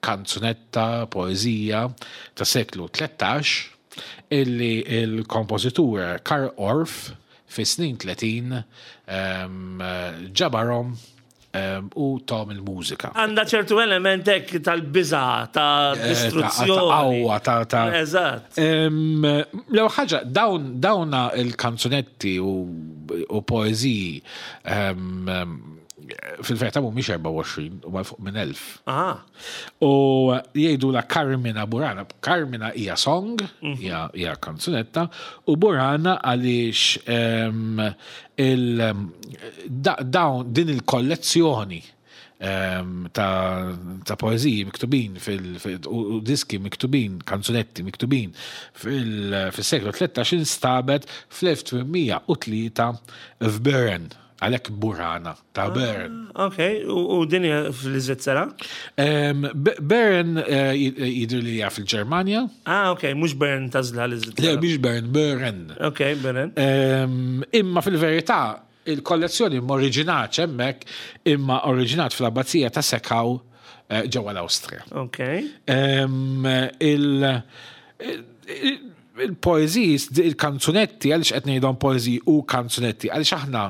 kanzunetta, poeżija ta' seklu 13 illi il-kompożitur Karl Orff fis-snin 30 ġabarhom u tom il-mużika. Għandha ċertu element hekk tal-biża', ta' distruzzjoni. Ta' qawwa, ta' ta' Eżatt. L-ewwel ħaġa, dawn dawna il-kanzunetti u poeżiji fil-verità mhumiex 24, huma fuq minn 1000. U jgħidu la Carmina Burana. Carmina hija song, hija kanzunetta, u Burana għaliex dawn din il-kollezzjoni ta' poeżiji miktubin u diski miktubin, kanzunetti miktubin fil-seklu 13 instabet fl-1803 f'Bern. Għalhekk Burana ta' Bern. Ok, u din hija fl-Iżvizzera? Bern jidher li hija fil-Ġermanja. Ah, ok, mhux Bern ta' żla l-Iżvizzera. Le, mhix Bern, Bern. Ok, Bern. Imma fil-verità, il-kollezzjoni m'oriġinatx hemmhekk, imma oriġinat fl-Abbazija ta' Seckau ġewwa l-Awstrija. Ok. Il-poeżiji, il-kanzunetti, għaliex qed ngħidhom poeżiji u kanzunetti, għaliex aħna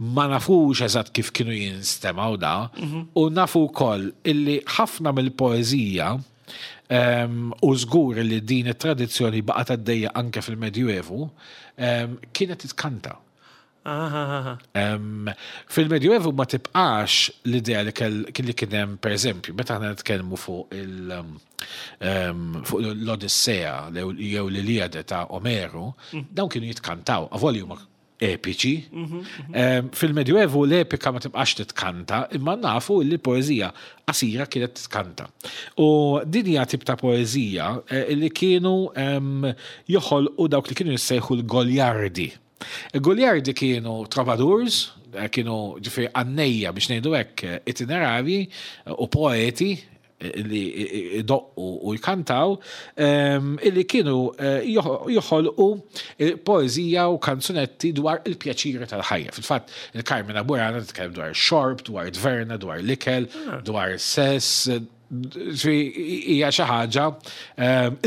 ma nafux eżatt kif kienu jinstemgħu da, u nafu wkoll illi ħafna mill-poeżija u żgur li din it-tradizzjoni baqgħet għaddejja anke fil-Medjuevu, kienet titkanta. Fil-Medjuevu ma tibqax l-idea li kien hemm, per eżempju, meta aħna nitkellmu fuq il fuq l-Odissea jew l-Iliade ta' Omeru, dawn kienu jitkantaw, avolja huma epiċi. Fil-Medjuevu l-epika ma tibqax titkanta, imma nafu li poeżija qasira kienet titkanta. U din hija tip ta' poeżija li kienu joħolqu dawk li kienu jissejħu l-Goliardi. Il-Goliardi kienu troubadours, kienu ġifieri għannejja biex ngħidu hekk itinerarji u poeti li idoqqu u jkantaw, illi kienu joħolqu poeżija u kanzunetti dwar il-pjaċiri tal-ħajja. Fil-fatt, il-Carmina Burana titkellem dwar ix-xorb, dwar it-tverna, dwar l-ikel, dwar is-sess, hija xi ħaġa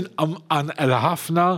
inqanqla ħafna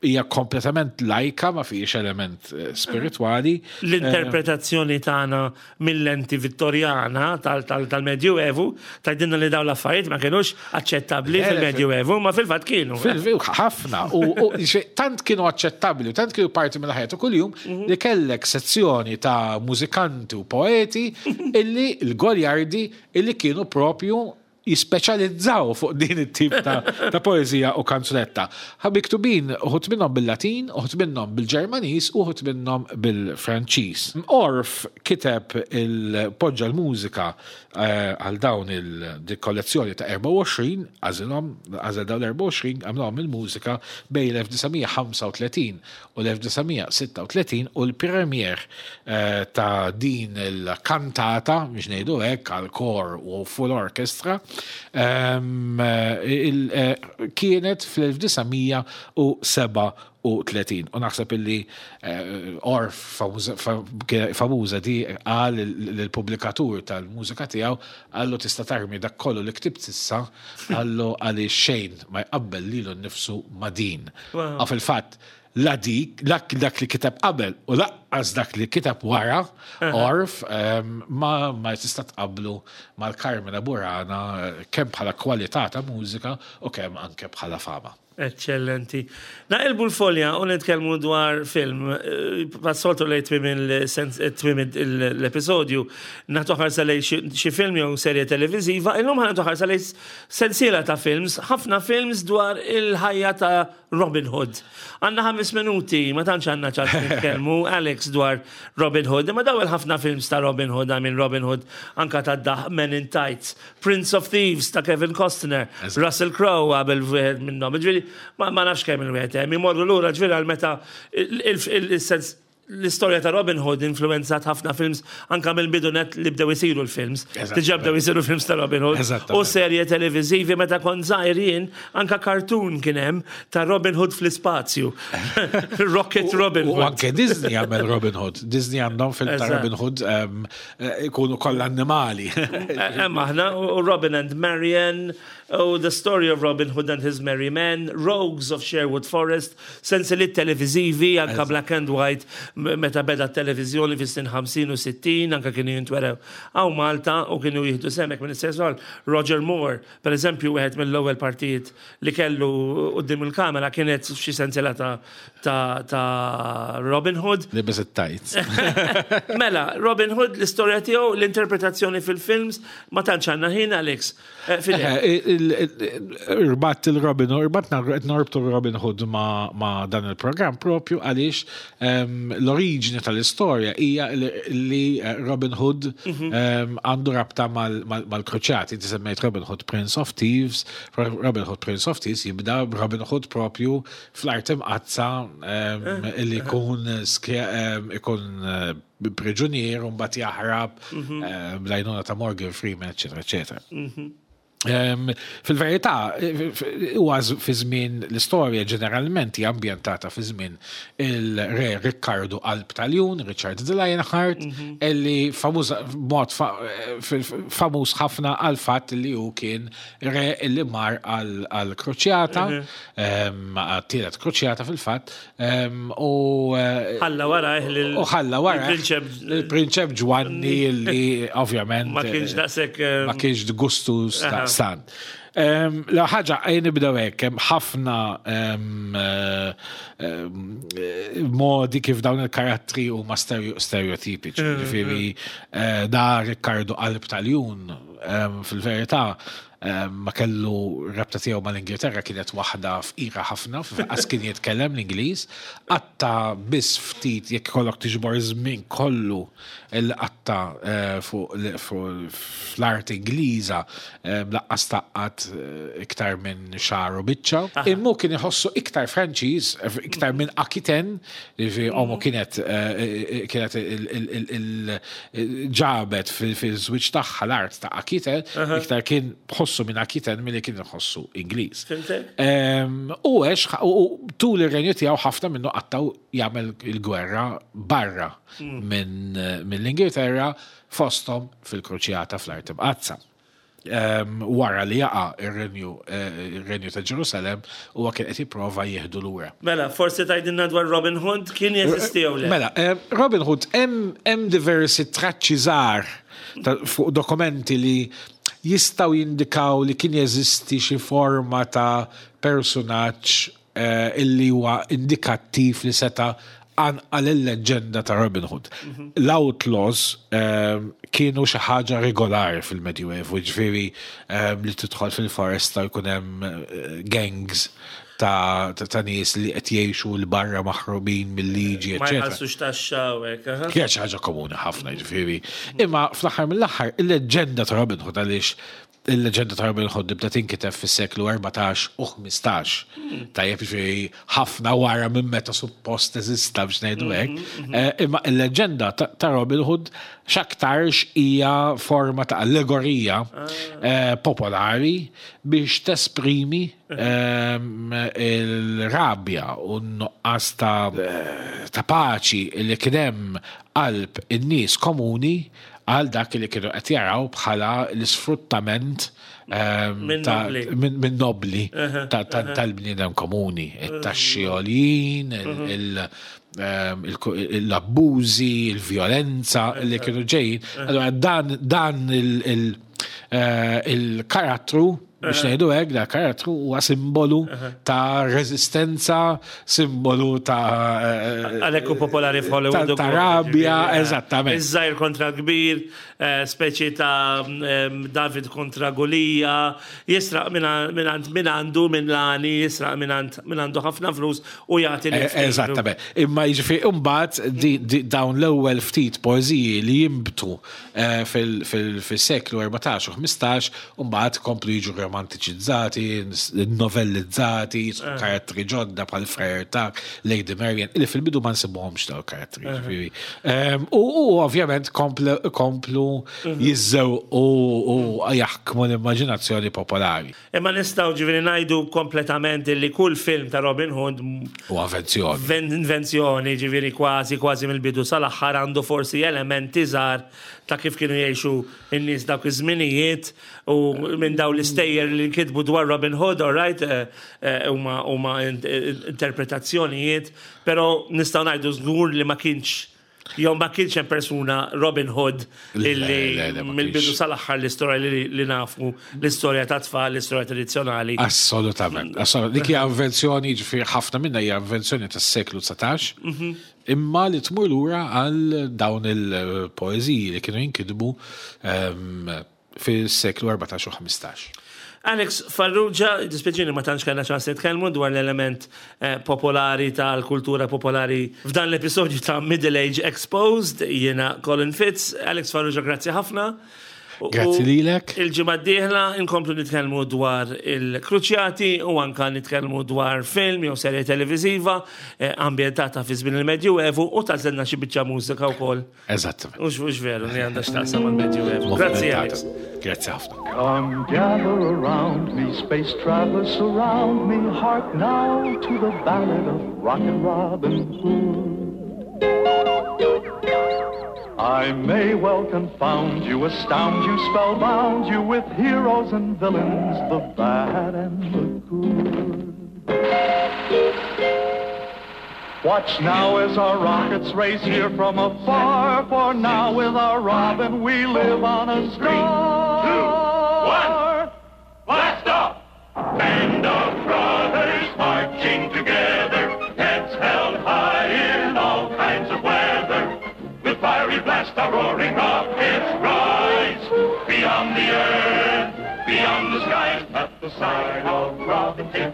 hija kompletament lajka, ma fihiex element spiritwali. L-interpretazzjoni tagħna mill-lenti Vittorjana tal-Medjuevu tgħidilna li dawn l-affarijiet ma kinux aċċettabbli fil-Medjuevu, ma fil-fatt kienu. Ħafna. U tant kienu aċċettabbli u tant kienu parti mill-ħajja ta' kuljum li kellek sezzjoni ta' mużikanti u poeti illi l-Goliardi illi kienu propju. jispeċjalizzaw fuq din it-tip ta', ta poezija u kanzunetta. Ħa miktubin uħud minnhom bil-Latin, uħud minnhom bil-Ġermaniż, uħud minnhom bil-Franċiż. Orff kiteb il-poġġa l-mużika eh, għal dawn il-kollezzjoni ta' 24, għażilhom, għażel dawn l-24, għamlhom il-mużika bejn l-1935 u l-1936 u l-premier eh, ta' din il-kantata, biex ngħidu hekk, għal kor u full orchestra, ehm, eh, kienet fl-1937. U naħseb illi eh, Orff famuża di qal lill-pubblikatur tal-mużika tiegħu qallu tista' tarmi dak kollu li ktibt s'issa qallu għaliex xejn ma jqabbel lilu nnifsu ma' din. U fil-fatt la dik, dak li kiteb qabel u laqqas dak li kiteb wara, Orff, ma ma tista' tqabblu mal-Carmina Burana kemm bħala kwalità ta' mużika u kemm anke bħala fama. Eċċellenti. Naqilbu l-folja u nitkellmu dwar film. Bħas-soltu lejn tmiem l-episodju nagħtu ħarsa lejn xi film jew serje televiżiva. Illum ħa nagħtu ħarsa lejn sensiela ta' films, ħafna films dwar il-ħajja ta' Robin Hood. Għandna ħames minuti, ma tantx għandna ċans nitkellmu, Alex, dwar Robin Hood, imma daw il-ħafna films ta' Robin Hood, I mean Robin Hood anka ta' daħ Men in Tights, Prince of Thieves ta' Kevin Costner, Russell Crowe għamel wieħed minnhom. Ġifieri ma nafx kemm il-wieħed hemm, imorru lura ġifieri għal meta il-sens l-istorja ta' Robin Hood influenzat ħafna films anka mill-bidu net li bdew isiru l-films. Diġà bdew isiru films ta' Robin Hood. U serje televiżivi meta kont żgħir jien anka cartoon kien hemm ta' Robin Hood fl-ispazju. Rocket Robin Hood. U anke Disney għamel Robin Hood. Disney għandhom film ta' Robin Hood Ikunu kollha annimali. Hemm aħna u Robin and Marian u The Story of Robin Hood and His Merry Men, Rogues of Sherwood Forest, sensiliet televiżivi anka black and white meta beda t-televiżjoni fis-snin 50 u 60 anka kienu jintwerew hawn Malta u kienu jieħdu sehem hekk minn istess Roger Moore Per eżempju, wieħed mill-ewwel partijiet li kellu quddiem il-kamera kienet f'xi sensiela ta' ta' ta' Robin Hood. Libes it-tights. Mela, Robin Hood, l-istorja tiegħu, l-interpretazzjoni fil-films, ma tantx għandna ħin, Alex. Irbatt il-Robin Hood, irbatna qed norbtu Robin Hood ma' dan il-programm propju għaliex L-oriġini tal-istorja hija li eh, Robin Hood mhm. għandu rabta mal-kruċjati. Inti semmejt Robin Hood Prince of Thieves, Robin Hood Prince of Thieves jibda Robin Hood propju fl-art imqazza eh, li jkun ikun eh, priġunier u mbagħad jaħrab mhm. bl-għajnuna ta' Morgan Freeman, eċetera, eċetera. Mhm. Fil-verità, huwa fi żmien l-istorja ġeneralment hija ambjentata fi żmien il-re Rikkardu Qalb tal-Ljun, Richard the Lionheart, mhm. illi famuż mod famuż ħafna għal fatt li hu kien re illi mar għal kruċjata, mhm. għat-tielet kruċjata fil-fatt, U eh, ħalla wara eh, u ħalla wara il-prinċep Ġwanni li ovvjament ma kienx eh, daqshekk ma kienx gustu stan. La ħaġa għajn nibdew hekk hemm ħafna modi kif dawn il-karattri huma stereotipiċi. Mm, Ġifieri mm. da Riccardo Qalb tal-Jun fil-verità ma kellu rabta tiegħu mal-Ingilterra kienet waħda fqira ħafna, f'qas kien jitkellem l-Ingliż, qatta biss ftit jekk ikollok tiġbor żmien kollu li qatta eh, fuq fl-art Ingliża eh, laqqas taqqat eh, iktar minn xahar u biċċa. Immu kien iħossu iktar Franċiż, iktar minn Akiten, Jiġifieri omu kienet kienet ġabet fil-żwieġ tagħha l-art ta' Akiten, iktar kien ħossu minn Akiten milli kien iħossu Ingliż. U għex u tul ir-renju tiegħu ħafna minnu qattaw jagħmel il-gwerra barra mill-Ingilterra fosthom fil-Kruċjata fl-Art Imqaddsa. Wara li jaqa' ir-renju ir-renju ta' Ġerusalemm huwa kien qed jipprova jieħdu lura. Mela, forsi tgħidilna dwar Robin Hood, kien jeżisti jew le? Mela, Robin Hood hemm hemm diversi traċċi żgħar fuq dokumenti li jistgħu jindikaw li kien jeżisti xi forma ta' persunaġġ illi huwa indikattiv li seta' qanqal il-leġġenda ta' Robin Hood. L-outlaws kienu xi ħaġa regolari fil-Medjuevu, ġifieri li tidħol fil-foresta jkun hemm gangs ta' nies li qed jgħixu 'l barra maħrubin mill-liġi, Ma jħallsux taxxa u hekk. Kienet xi ħaġa komuni ħafna, ġifieri. Imma fl-aħħar mill-aħħar il-leġġenda ta' Robin Hood għaliex il-leġġenda ta' Robin Hood tibda tinkiteb fis-seklu 14 u 15. Tajjeb ġifieri ħafna wara minn meta suppost eżista biex ngħidu hekk. Imma il-leġġenda ta' Robin Hood x'aktarx hija forma ta' allegorija popolari biex tesprimi il-rabja u n-nuqqas ta' paċi li kien hemm qalb in-nies komuni għal dak li kienu qed jaraw bħala l-isfruttament minn nobli tal-bniedem komuni, it-taxxi għoljin, l-abbużi, il-vjolenza li kienu ġejjin. Allora dan il-karattru biex ngħidu hekk, da karattru huwa simbolu ta' reżistenza, simbolu ta' Għalhekk hu popolari f'Hollywood. Ta' rabja, eżattament. Iż-żgħir kontra kbir, speċi ta' David kontra Gulija, jisraq minn għandu minn lani, jisraq minn għandu ħafna flus u jagħti lil ftit. Eżattament. Imma jiġifieri imbagħad dawn l-ewwel ftit poeżiji li jinbtu fil-seklu 14 u 15 u mbagħad komplu jiġu romantiċizzati, novellizzati, karattri ġodda bħal Friar Tuck, Lady Marian, li fil-bidu ma nsibuhomx dawn karattri. Ġifieri. U ovvjament komplu jiżżew u jaħkmu l-immaġinazzjoni popolari. Imma nistgħu ġifieri ngħidu kompletament li kull film ta' Robin Hood u invenzjoni. Invenzjoni, ġifieri kważi kważi mill-bidu sal-aħħar għandu forsi elementi żgħar ta' kif kienu jgħixu n-nies dawk iż-żminijiet u minn dawn l-istejjer li nkitbu dwar Robin Hood, all right, huma interpretazzjonijiet, però nistgħu ngħidu żgur li ma kienx jew ma kienx hemm persuna Robin Hood illi mill-bidu sal-aħħar l-istorja li nafu, l-istorja ta' tfal, l-istorja tradizzjonali. Assolutament. Dik hija invenzjoni, ġifieri ħafna minnha hija invenzjoni tas-seklu 19, imma li tmur lura għal dawn il-poeżiji li kienu jinkitbu fis-seklu 14 u 15. Alex Farrugia, dispjaċini ma tantx kellna ċans nitkellmu dwar l-element popolari tal-kultura popolari f'dan l-episodju ta' Middle Age Exposed, jiena Colin Fitz. Alex Farrugia, grazzi ħafna. Grazzi lilek. Il-ġimgħa d-dieħla inkomplu nitkellmu dwar il-kruċjati u anka nitkellmu dwar film jew serje televiżiva ambjentata fi żmien il-Medjuevu u tażilna xi biċċa mużika wkoll. Eżattament. Ux veru li għandha x'taqsam mal-Medjuevu. Grazzi, Alex. Grazzi ħafna. Come gather around me, space travelers surround me, hark now to the ballad of Rockin' Robin Hood. I may well confound you, astound you, spellbound you with heroes and villains, the bad and the good. Watch now as our rockets race here from afar, for now with our Robin we live on a star. 3, 2, 1, blast off! Band of brothers marching together, heads held high in all kinds of weather. With fiery blast our roaring rockets rise, beyond the earth, beyond the skies, at the sign of Robin Hood.